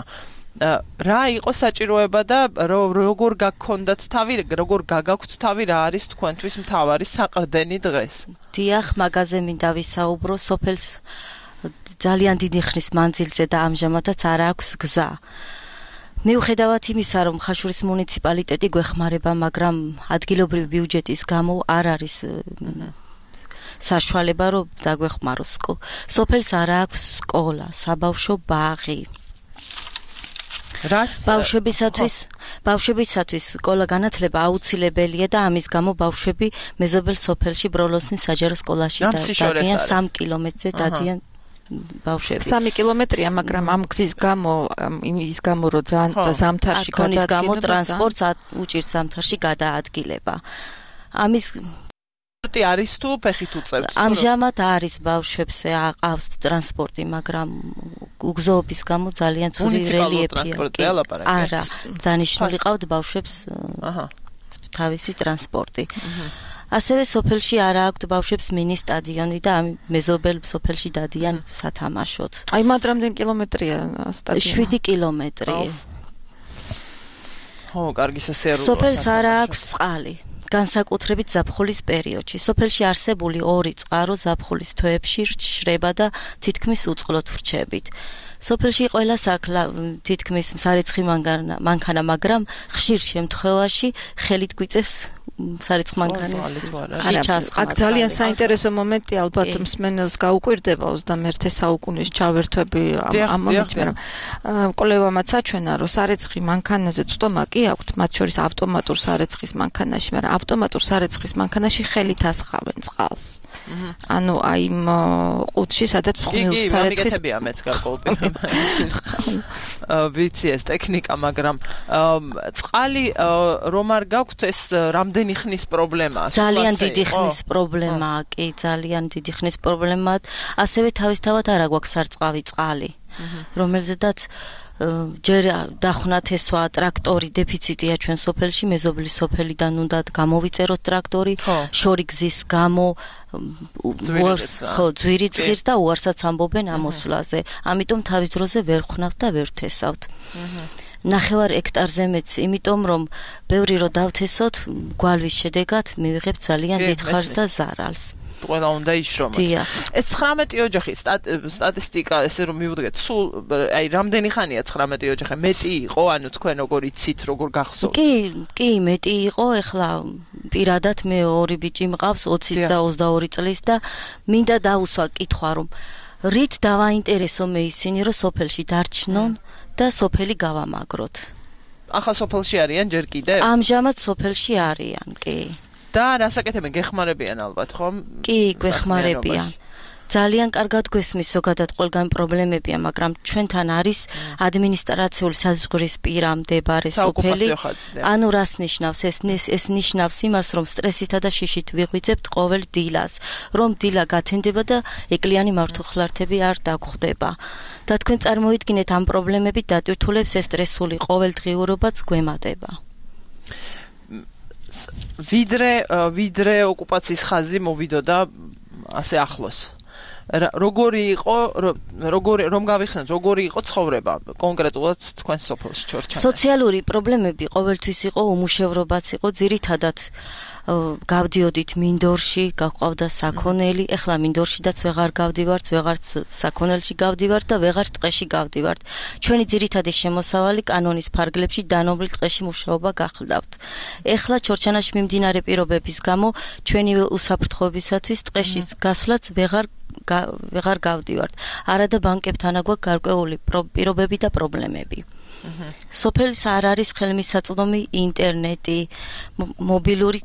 რა იყო საჭიროება და როგორ გაგქონდათ თავი, როგორ გაგაქვთ თავი, რა არის თქვენთვის მთავარი საყრდენი დღეს? დიახ, მაგაზე მინდა ვისაუბრო, სოფელს ძალიან დიდი ხნის მანძილზე და ამჟამადაც არ აქვს გზა. მიუხედავად იმისა, რომ ხაშურის მუნიციპალიტეტი გვეხმარება, მაგრამ ადგილობრივი ბიუჯეტის გამო არ არის საშუალება, რომ დაგვეხმაროს. სოფელს არ აქვს სკოლა, საბავშვო ბაღი. ბავშვებისათვის სკოლა განათლება აუცილებელია და ამის გამო ბავშვები მეზობელ სოფელში ბროლოსნის საჯარო სკოლაში დადიან 3 კილომეტრზე დადიან ბავშვები. 3 კილომეტრია, მაგრამ ამ გზის გამო, იმის გამო, რომ ძალიან ზამთარში გადაადგილება, გამო ტრანსპორტს უჭირს ზამთარში გადაადგილება. ამის არის თუ ფეხით უწევთ? ამჟამად არის ბავშვებს აყავს ტრანსპორტი, მაგრამ უგზოობის გამო ძალიან ცუდი რელიეფია. არა, დანიშნული ყავთ ბავშვებს თავისი ტრანსპორტი. ასევე სოფელში არ აქვს ბავშვებს მინი სტადიონი და ამ მეზობელ სოფელში დადიან სათამაშოდ. აი მათ რამდენი კილომეტრია სტადიონი? 7 კილომეტრი. ხო, კარგი სასიარულოა. სოფელს არ აქვს წყალი. განსაკუთრებით ზაფხულის პერიოდში. სოფელში არსებული 2 წყარო ზაფხულის თვეებში შრება და თითქმის უწყლოდ ვრჩებით. სოფელში ყველა საქლა თითქმის სარეცხი მანქანა, მაგრამ ხშირ შემთხვევაში ხელით გვიწევს სარეცხ მანქანას. აქ ძალიან საინტერესო მომენტი ალბათ მსმენელს გაუკვირდება 21 საუკუნის ჩავერთვები ამ მომენტში, მაგრამ კოლევამაც აჩვენა, რომ სარეცხი მანქანაზე წტომა კი აქვთ, მათ შორის ავტომატურ სარეცხის მანქანაში, მაგრამ ავტომატურ სარეცხის მანქანაში ხელით ასხავენ წყალს. ანუ აი იმ ყუთში, სადაც ხმილს სარეცხის მეც გარკვეულწილად ვიცი ეს ტექნიკა, მაგრამ წყალი რომ არ გაქვთ ეს რამდენი ხნის პრობლემაა? ძალიან დიდი ხნის პრობლემაა, კი, ძალიან დიდი ხნის პრობლემაა. ასევე თავისთავად არ აგვაქვს სარწყავი წყალი, რომელზედაც ჯერ დახვნათ ესვა ტრაქტორი დეფიციტია ჩვენ სოფელში, მეზობლის სოფელიდან უნდა გამოვიწეროთ ტრაქტორი, შორი გზის გამო ძვირი ძღირს და უარსაც ამბობენ ამოსვლაზე. ამიტომ თავის დროზე ვერ ხვნავთ და ვერ თესავთ. 9 ჰექტარზე მეც, იმიტომ რომ ბევრი რო დავთესოთ, გვალვის შედეგად მივიღებთ ძალიან დიდ ხარჯს და ზარალს. ყველა უნდა იშრომოთ. ეს 19 ოჯახის სტატისტიკა, ესე რომ მივუდგეთ, სულ აი რამდენი ხანია 19 ოჯახი? მეტი იყო, ანუ თქვენ როგორ იცით, როგორ გახსოვთ? კი, მეტი იყო, ეხლა პირადად მე 2 ბიჭი მყავს, 20 და 22 წლის და მინდა დავუსვა კითხვა, რომ რით დავაინტერესო მე ისინი, რომ სოფელში დარჩნონ და სოფელი გავამაგროთ. ახლა სოფელში არიან ჯერ კიდევ? ამჟამად სოფელში არიან, კი. და რასაკეთებენ? გეხმარებიან ალბათ, ხომ? კი, გვეხმარებიან. ძალიან კარგად გვესმის ზოგადად ყველგან პრობლემებია, მაგრამ ჩვენთან არის ადმინისტრაციული საზღვრისპირა მდებარე სოფელი. ანუ რას ნიშნავს? ეს ნიშნავს იმას, რომ სტრესითა და შიშით ვიღვიძებთ ყოველ დილას, რომ დილა გათენდება და ეკლიანი მართუხლართები არ დაგხვდება. და თქვენ წარმოიდგინეთ ამ პრობლემებით დატვირთულებს ეს სტრესული ყოველდღიურობაც გვემატება. ვიდრე ოკუპაციის ხაზი მოვიდოდა ასე ახლოს. როგორი იყო, რომ გავიხსენოთ, როგორი იყო ცხოვრება კონკრეტულად თქვენ სოფელში ჩორჩანაში? სოციალური პრობლემები ყოველთვის იყო, უმუშევრობაც იყო, ძირითადად გავდიოდით მინდორში, გაყავდა საქონელი, ეხლა მინდორშიდაც ვეღარ გავდივართ, ვეღარც საქონელში გავდივართ და ვეღარ ტყეში გავდივართ. ჩვენი ძირითადი შემოსავალი კანონის ფარგლებში დანომრილ ტყეში მუშაობა გახლდავთ. ეხლა ჩორჩანაში მიმდინარე პირობების გამო ჩვენი უსაფრთხოებისათვის ტყეში გასვლაც ვეღარ გავდივართ. არადა ბანკებთან აგვაქვს გარკვეული პირობები და პრობლემები. სოფელს არ არის ხელმისაწვდომი ინტერნეტი, მობილური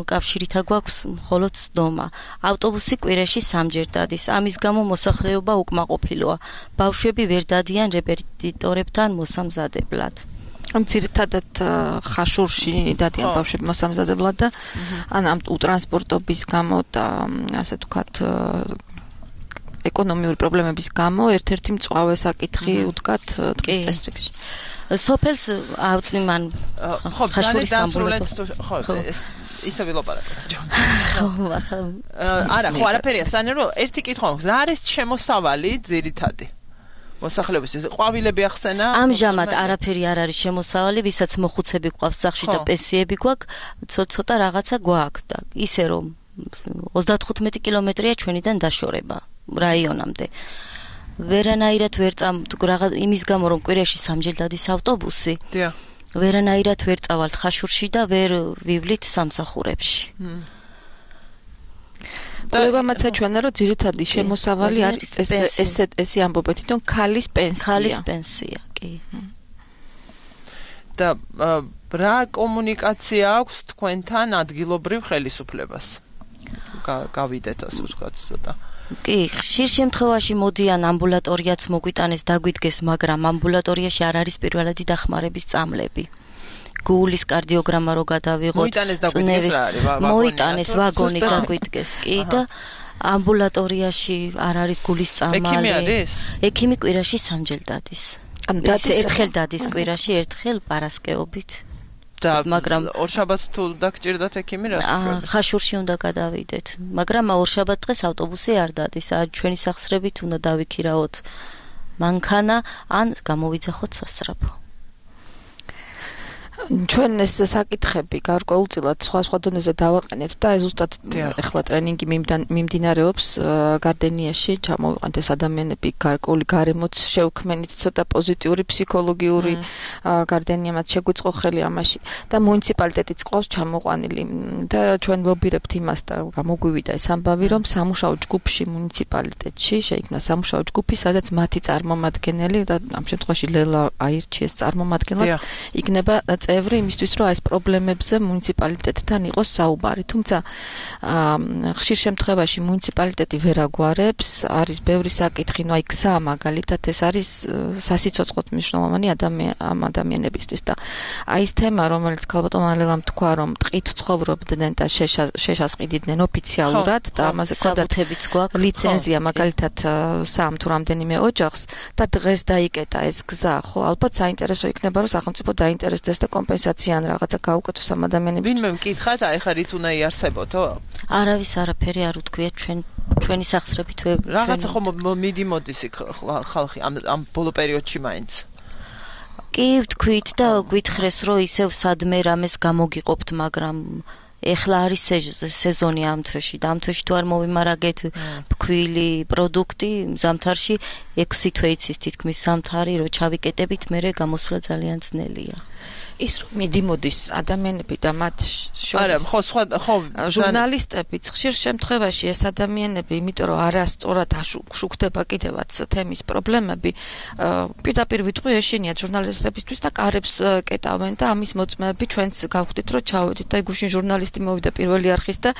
კავშირით გვაქვს მხოლოდ სდომა. ავტობუსი კვირაში 3-ჯერ დადის. ამის გამო მოსახლეობა უკმაყოფილოა. ბავშვები ვერ დადიან რეპეტიტორებთან მოსამზადებლად. ამ ძირითადად ხაშურში დადიან ბავშვები მოსამზადებლად და ამ ტრანსპორტობის გამო და ასე ვთქვათ ეკონომიური პრობლემების გამო ერთ-ერთი მწვავე საკითხი უდგათ ტყის წესრიგში. სოფელს ავტიმან ხაშურის ამბულატორია. ხო, ისე ვილაპარაკეთ. არა, ხო, არაფერია, სანერო ერთი კითხვა მაქვს. რა არის შემოსავალი ძირითადი? მოსახლეობისთვის ყვავილები ახსენა? ამჟამად არაფერი არ არის შემოსავალი, ვისაც მოხუცები გვყავს სახში და პენსიები გვაქვს, ცოტა რაღაცა გვაქვს და ისე რომ 35 კილომეტრია ჩვენიდან დაშორება რაიონამდე. ვერანაირად ვერ რაღაც იმის გამო რომ კვირაში სამჯერ დადის ავტობუსი. დიახ. ვერანაირად ვერ წავალთ ხაშურში და ვერ ვივლით სამსახურებში. კლებამაცა ჩვენა რომ ძირითადი შემოსავალი არის ესე ამბობთ, თვითონ ქალის პენსია. ქალის პენსია, კი. და რა კომუნიკაცია აქვს თქვენთან ადგილობრივ ხელისუფლებას? გავიდეთ ასე ვთქვათ ცოტა. კი, ხშირ შემთხვევაში მოდიან ამბულატორიაც მოგვიტანეს დაგვიდგეს, მაგრამ ამბულატორიაში არ არის პირველადი დახმარების წამლები. გულის კარდიოგრამა რო გადავიღოთ, მოიტანეს ვაგონი დაგვიდგეს, კი და ამბულატორიაში არ არის გულის წამალი. ექიმი არის? ექიმი კვირაში სამჯერ დადის. ანუ ერთხელ დადის კვირაში, ერთხელ პარასკევობით. და მაგრამ ორშაბათს თუ დაგჭირდათ ექიმი რა? ხაშურში უნდა გადავიდეთ, მაგრამ ორშაბათ დღეს ავტობუსი არ დადის. ჩვენი სახსრებით უნდა დავიქირავოთ მანქანა ან გამოვიძახოთ სასწრაფო. ჩვენ ეს საკითხები გარკვეულწილად სხვა დონეზე დავაყენეთ და ზუსტად ეხლა ტრენინგი მიმდინარეობს გარდენიაში, ჩამოვიყენთ ეს ადამიანები გარკვეული გარემოც შევქმენით, ცოტა პოზიტიური ფსიქოლოგიური გარდენია მათ შეგვიწყო ხელი ამაში და მუნიციპალიტეტიც ყავს ჩამოყვანილი და ჩვენ ლობირებთ იმას და გამოგვივიდა ეს ამბავი, რომ სამუშაო ჯგუფში მუნიციპალიტეტში შეიქმნა სამუშაო ჯგუფი, სადაც მათი წარმომადგენელი და ამ შემთხვევაში ლელა აირჩიეს წარმომადგენლად იქნება წევრი იმისთვის, რომ ეს პრობლემებზე მუნიციპალიტეტთან იყოს საუბარი. თუმცა ხშირ შემთხვევაში მუნიციპალიტეტი ვერ აგვარებს, არის ბევრი საკითხი, აი გზა მაგალითად ეს არის სასიცოცხლოდ მნიშვნელოვანი ამ ადამიანებისთვის და აი ეს თემა, რომელიც ქალბატონმა ლელამ თქვა, რომ ტყით ცხოვრობდნენ და შეშას ყიდიდნენ ოფიციალურად და ამაზე საბუთებიც გვაქვს, ლიცენზია მაგალითად სამ თუ რამდენიმე ოჯახს და დღეს დაიკეტა ეს გზა, ხო, ალბათ საინტერესო იქნება, რომ სახელმწიფო დაინტერესდეს და კომპენსაცია ან რაღაცა გაუკეთოს ამ ადამიანებს. ვინმე მკითხათ, აი ხა რით უნდა იარსებოთო? არავის არაფერი არ უთქვია ჩვენი სახსრებით რაღაცა ხომ მიდიმოდის ხალხი ამ ბოლო პერიოდში მაინც. კი ვთქვით და გვითხრეს, რომ ისევ სადმე რამეს გამოგიყოფთ, მაგრამ ეხლა არის სეზონი ამ თვეში და ამ თვეში თუ არ მოვიმარაგეთ ფქვილი პროდუქტი ზამთარში 6 თვე იცის თითქმის ზამთარი, რომ ჩავიკეტებით, მერე გამოსვლა ძალიან ძნელია. ის რომ მიდიმოდის ადამიანები და მათ შორის ხო ჟურნალისტებიც ხშირ შემთხვევაში ეს ადამიანები, იმიტომ რომ არასწორად შუქდება კიდევაც თემის პრობლემები, პირდაპირ ვიტყვი ეშინიათ ჟურნალისტებისთვის და კარებს კეტავენ და ამის მოწმეები ჩვენც გავხდით, რომ ჩავედით და გუშინ ჟურნალისტი მოვიდა პირველი არხის და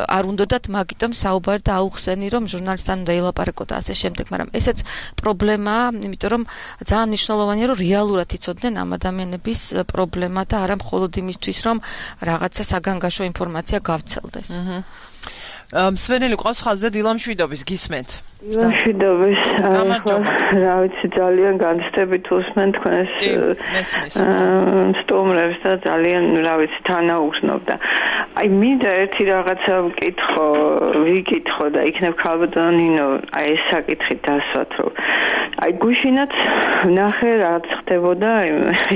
არ უნდათ მაგიტომ საუბარი და აუხსენი, რომ ჟურნალისტთან უნდა ელაპარაკო და ასე შემდეგ, მაგრამ ესეც პრობლემაა, იმიტომ რომ ძალიან მნიშვნელოვანია, რომ რეალურად იცოდნენ ამ ადამიანების პრობლემა და არა მხოლოდ იმისთვის, რომ რაღაცა საგანგაშო ინფორმაცია გავცელდეს. მსვენელი ყავს ხაზზე დილამშვიდობის გისმენთ. დილამშვიდობის. რა ვიცი, ძალიან განცდებით უსმენ თქვენს სტუმრებს და ძალიან, რა ვიცი, თანაუგრძნობ და აი მინდა ერთი რაღაცა ვიკითხო და იქნებ ქალბატონ ნინო აი ეს საკითხი დასვათ, რომ აი გუშინაც ნახე რაც ხდებოდა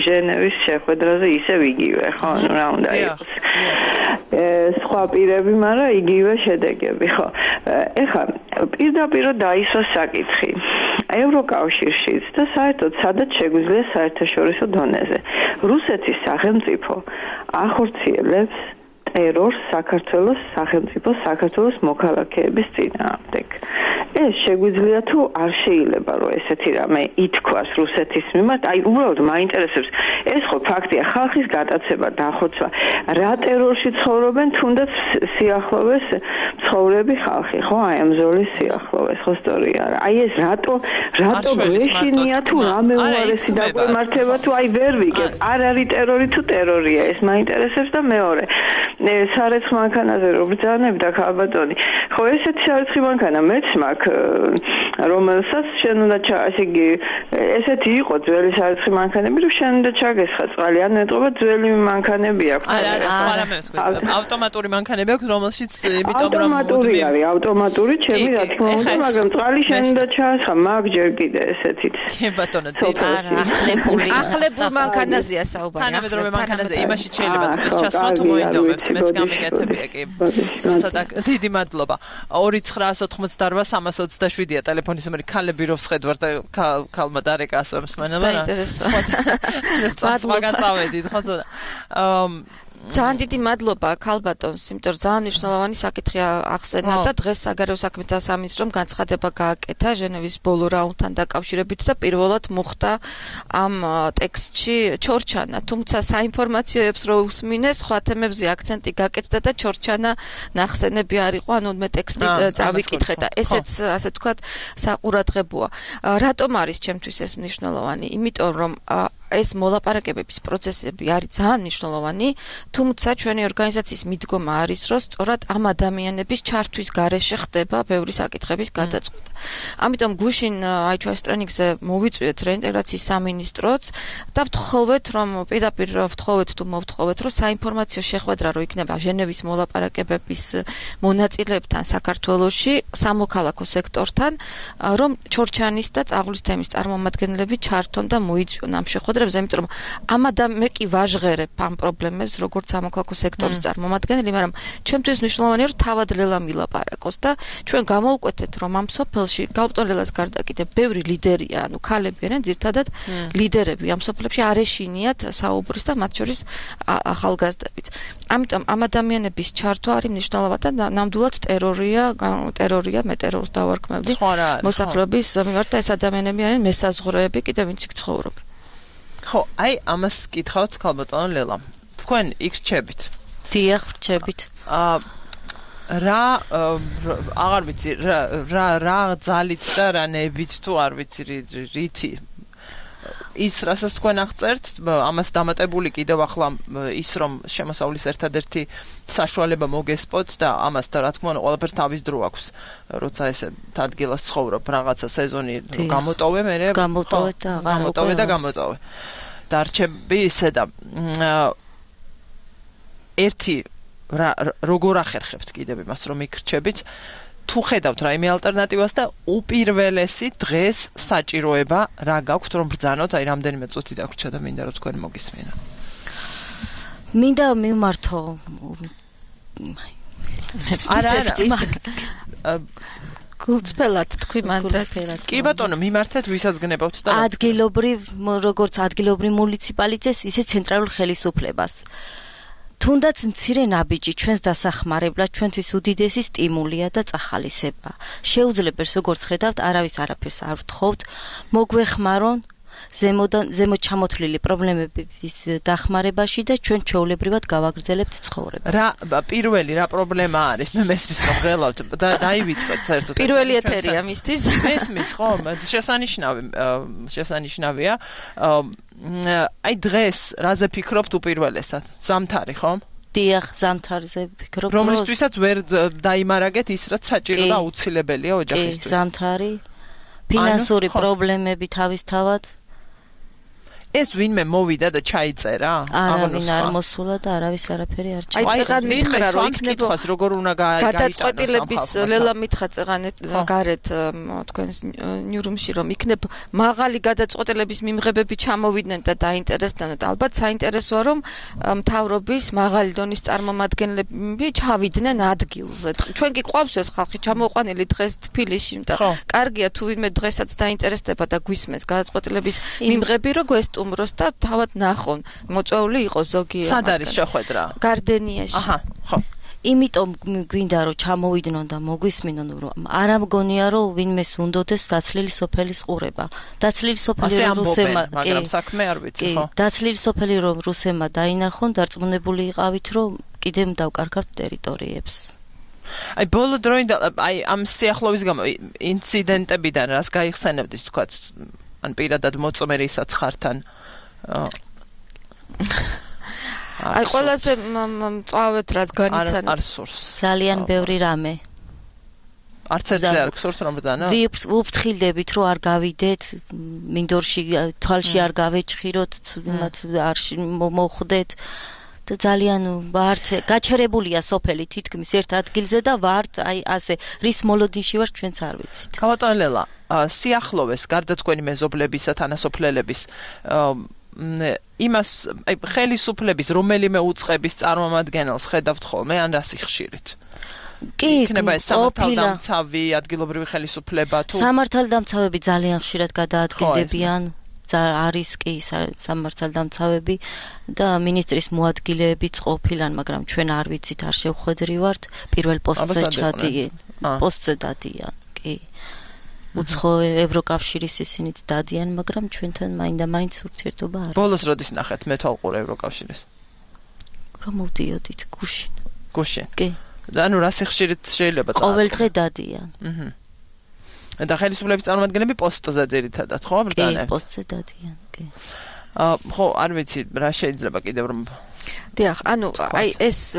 ჟენევის შეხვედრაზე ისევ იგივე, ხო, ანუ რა უნდა იყოს. სხვა პირები, მაგრამ იგივე შედეგები, ხო. ეხლა პირდაპირ დაისვა საკითხი ევროკავშირშიც და საერთოდ სადაც შეგვიძლია საერთაშორისო დონეზე. რუსეთის სახელმწიფო ახორციელებს ტერორს საქართველოს სახელმწიფოს საქართველოს მოქალაქეების წინააღმდეგ. ეს შეგვიძლია თუ არ შეიძლება რომ ესეთი რამე ითქვას რუსეთის მიმართ, აი უბრალოდ მაინტერესებს ეს ხო ფაქტია, ხალხის გატაცება დახოცვა, რა ტერორში ცხოვრობენ, თუნდაც სიახლოვეს ცხოვრები ხალხი, ხო, აი ამ ზოლის სიახლოვეს, ხო სწორია რა. აი ეს რატო გვეშინია თუ რამე უარესი დაგვემართება თუ აი ვერ ვიგებ, არ არის ტერორი თუ ტერორია, ეს მაინტერესებს და მეორე სარეცხ მანქანაზე რო ბრძანებდა ქალბატონი. ხო ესეთი სარეცხი მანქანა მეც მაქვს, რომელსაც შენ უნდა ასე იგი ესეთი იყო ძველი სარეცხი მანქანები, რომ შენ უნდა ჩაგესხა წყალი, ან ეტყობა ძველი მანქანები აქვს. არა მე ვთქვი, ავტომატური მანქანები აქვს, რომელშიც იმიტომ რომ ავტომატური არის, ავტომატური ჩემი რა თქმა უნდა, მაგრამ წყალი შენ უნდა ჩაასხა, მაგ ჯერ კიდე ესეთით. კი ბატონო, ახლებულ მანქანაზეა საუბარი. თანამედროვე მანქანაზე იმაში შეიძლება წყლის ჩასხმა თუ მოინდომებთ, მეც გამიგეთებია კი. ცოტა დიდი მადლობა. 2988 327-ია ტელეფონი გონისმერი ქალები რო ვსხედვარ და ქალმა დარეკა ასე მსმენება რა. საინტერესო. მაგან წავედით ხო ცოტა. ძალიან დიდი მადლობა ქალბატონს, იმიტომ რომ ძალიან მნიშვნელოვანი საკითხი ახსენა და დღეს საგარეო საქმეთა სამინისტრომ განცხადება გააკეთა ჟენევის ბოლო რაუნდთან დაკავშირებით და პირველად მოხდა ამ ტექსტში ჩორჩანა, თუმცა საინფორმაციოებს რო უსმინეს, სხვა თემებზე აქცენტი გაკეთდა და ჩორჩანა ნახსენები არ იყო, ანუ მე ტექსტი წავიკითხე და ესეც ასე ვთქვათ საყურადღებოა. რატომ არის ჩემთვის ეს მნიშვნელოვანი? იმიტომ რომ ეს მოლაპარაკებების პროცესები არის ძალიან მნიშვნელოვანი, თუმცა ჩვენი ორგანიზაციის მიდგომა არის, რომ სწორად ამ ადამიანების ჩართვის გარეშე ხდება ბევრი საკითხების გადაწყვეტა. ამიტომ გუშინ აი ჩვენ სტრენინგზე მოვიწვიეთ რეინტეგრაციის სამინისტროც და ვთხოვეთ, რომ პირდაპირ ვთხოვეთ თუ მოვთხოვეთ, რომ საინფორმაციო შეხვედრა რო იქნება ჟენევის მოლაპარაკებების მონაწილეებთან საქართველოში, სამოქალაქო სექტორთან, რომ ჩორჩანის და წაღლის თემის წარმომადგენლები ჩართონ და მოიწვიონ ამ შეხვედრას. იმიტომ რომ მე კი ვაჟღერებ ამ პრობლემებს როგორც სამოქალაქო სექტორის წარმომადგენელი, მაგრამ ჩვენთვის მნიშვნელოვანია რომ თავად ლელა მილაპარაკოს და ჩვენ გამოვკვეთეთ რომ ამ სოფელში გაუპტონ ლელას გარდა კიდე ბევრი ლიდერია, ანუ ქალები არიან ძირთადად ლიდერები ამ სოფლებში არ ეშინიათ საუბრის და მათ შორის ახალგაზრდებიც. ამიტომ ამ ადამიანების ჩართვა არის მნიშვნელოვანი და ნამდვილად ტერორია, მე ტერორს დავარქმევდი მოსახლეობის მიმართ და ეს ადამიანები არიან მესაზღვრეები კიდე ვინც იქ ცხოვრობენ. ხო, აი ამას კითხავთ ქალბატონო ლელა. თქვენ იქ რჩებით. დიახ, რჩებით. რა აღარ ვიცი, რა ძალით და რა ნებით თუ არ ვიცი რითი. ის რასაც თქვენ აღწერთ, ამას დამატებული კიდევ ახლა ის რომ შემოსავლის ერთადერთი საშუალება მოგესპოთ და ამას და რა თქმა უნდა ყველაფერს თავის დრო აქვს. როცა ესე ადგილას ცხოვრობ, რაღაცა სეზონი გამოტოვე, მე გამოტოვე და გამოტოვე. დარჩები ისე და ერთი როგორ ახერხებთ კიდევ იმას რომ იქრჩებით თუ ხედავთ რაიმე ალტერნატივას და უპირველესი დღეს საჭიროება რა გაქვთ რომ ბრძანოთ, აი რამდენიმე წუთი დაგვრჩა და მინდა რომ თქვენ მოგისმინო. მინდა მივმართო არა გულწრფელად თქვი მანდრად. კი ბატონო, მიმართეთ ვისაც გნებავთ და ადგილობრივ როგორც ადგილობრივ მუნიციპალიტეტს, ისე ცენტრალურ ხელისუფლებას. თუნდაც მცირე ნაბიჯი ჩვენს დასახმარებლად ჩვენთვის უდიდესი სტიმულია და წახალისება. შეუძლებელს როგორც ხედავთ, არავის არაფერს არ ვთხოვთ, მოგვეხმარონ ზემოთ ჩამოთვლილი პრობლემების დახმარებაში და ჩვენ ჩვეულებრივად გავაგრძელებთ ცხოვრებას. პირველი რა პრობლემა არის? მე მესმის რომ ღელავთ და დაივიწყეთ საერთოდ. პირველი ეთერია მისთვის. მესმის ხო? შესანიშნავია. აი დღეს რაზე ფიქრობთ უპირველესად? ზამთარი ხო? დიახ, ზამთარზე ფიქრობ. რომლისთვისაც ვერ დაიმარაგეთ ის რაც საჭირო და აუცილებელია ოჯახისთვის. ზამთარი, ფინანსური პრობლემები თავისთავად. ეს ვინმე მოვიდა და ჩაიწერა? არავინ არ მოსულა და არავის არაფერი არ ჩაიწერა. აი წეგან მითხრა რომ იქნება როგორ უნდა გაიტანოს გადაწყვეტილების ლელა მითხრა წეგან გარეთ თქვენს ნიურუმში რომ იქნებ მაღალი გადაწყვეტილების მიმღებები ჩამოვიდნენ და დაინტერესდნენ და ალბათ საინტერესოა რომ მთავრობის მაღალი დონის წარმომადგენლები ჩავიდნენ ადგილზე. ჩვენ კი ყავს ეს ხალხი ჩამოყვანილი დღეს თბილისში და კარგია თუ ვინმე დღესაც დაინტერესდება და გვისმენს გადაწყვეტილების მიმღები რომ უმროს და თავად ნახონ მოწვეული იყოს ზოგი სად არის შეხვედრა? გარდენიაში. აჰა, ხო. იმიტომ გვინდა რომ ჩამოვიდნენ და მოგვისმინონ რომ არ ამგონია რომ ვინმეს უნდოდეს დაცლილი სოფელის ყურება. დაცლილი სოფელი რუსემა, მაგრამ საქმე არ ვიცი, ხო? დაცლილი სოფელი რომ რუსემა დაინახონ, დარწმუნებული იყავით რომ კიდემ დავკარგავთ ტერიტორიებს. აი ბოლო დროინდელ აი ამ სიახლოვის გამო ინციდენტებიდან რას გაიხსენებდით თქვა ან პირადად მოწმე რისაცხართან აი ყველაზე მწვავეთ რაც განიცადა არ სურს ძალიან ბევრი რამე არც ერთზე არ გსურთ რომ ბრძანო ვუფრთხილდებით რომ არ გავიდეთ მინდორში თვალში არ გავეჭხიროთ მათ არ მოხვდეთ და ძალიან ვართ გაჩერებულია სოფელი თითქმის ერთ ადგილზე და ვართ აი ასე რის მოლოდინში ვარ ჩვენც არ ვიცით. ქალბატონო ლელა, სიახლოვეს გარდა თქვენი მეზობლებისა თანასოფლელების იმას ხელისუფლების რომელიმე უწყების წარმომადგენელს ხედავთ ხოლმე ან რა სიხშირით? იქნება ეს სამართალდამცავი ადგილობრივი ხელისუფლება თუ სამართალდამცავები ძალიან ხშირად გადაადგილდებიან არის კი სამართალდამცავები და მინისტრის მოადგილეებიც ყოფილან, მაგრამ ჩვენ არ ვიცით, არ შევხვედრივართ, პირველ პოსტზე ჩადიან, პოსტზე დადიან, კი. უცხო ევროკავშირის ისინიც დადიან, მაგრამ ჩვენთან მაინდა-მაინც ურთიერთობა არის. ბოლოს როდის ნახეთ მეთვალყურე ევროკავშირის? რომ მოვდიოდით გუშინ. გუშინ. კი. ანუ რა სიხშირით შეიძლება წავა? ყოველ დღე დადიან. და ხელისუფლების წარმომადგენლები პოსტზე ძირითადად, ხო, ბრძანებთ? კი, პოსტზე დადიან, კი. ხო, არ ვიცი, რა შეიძლება კიდევ რომ დიახ, ანუ აი ეს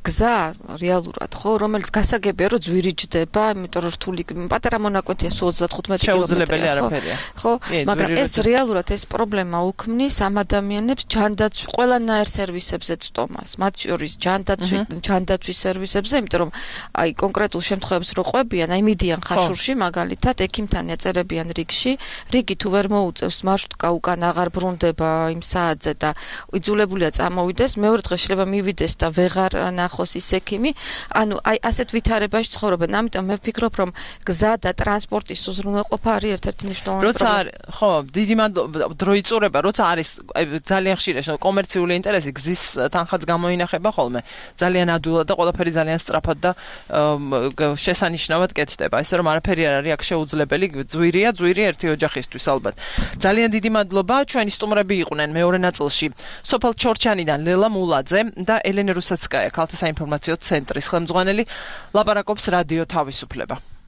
გზა რეალურად ხო, რომელიც გასაგებია რომ ძვირიჯდება, იმიტომ რომ რთული პატარა მონაკვეთია სულ 35 კილომეტრი, ხო? მაგრამ ეს რეალურად ეს პრობლემა უქმნის ამ ადამიანებს ჯანდაცვის ყველანაირ სერვისებზე წტომას, მათ შორის ჯანდაცვის სერვისებზე, იმიტომ რომ აი კონკრეტულ შემთხვევებს რო ყვებიან, აი მიდიან ხაშურში მაგალითად, ექიმთან ეწერებიან რიგში, რიგი თუ ვერ მოუწევს მარშრუტკა უკან აღარ ბრუნდება იმ საათზე და იძულებულია მოვიდეს, მეორე დღე შეიძლება მივიდეს და ვეღარ ნახოს ის ექიმი. ანუ აი ასეთ ვითარებაში ცხოვრობენ. ამიტომ მე ვფიქრობ, რომ გზა და ტრანსპორტის უზრუნველყოფა არის ერთ-ერთი მნიშვნელოვანი პრობლემა. ხო, დიდი დრო იწურება, როცა არის ძალიან ხშირად კომერციული ინტერესი გზის თანხაც გამოინახება ხოლმე. ძალიან ადვილად და ყველაფერი ძალიან სწრაფად და შესანიშნავად კეთდება. ისე რომ არაფერი არ არის აქ შეუძლებელი, ძვირია ერთი ოჯახისთვის ალბათ. ძალიან დიდი მადლობა, ჩვენი სტუმრები იყვნენ მეორე ნაწილში. სოფელ ჩორჩანიდან ლელა მულაძე და ელენე რუსაცკაია, ქალთა საინფორმაციო ცენტრის ხელმძღვანელი, ლაპარაკობს რადიო თავისუფლება.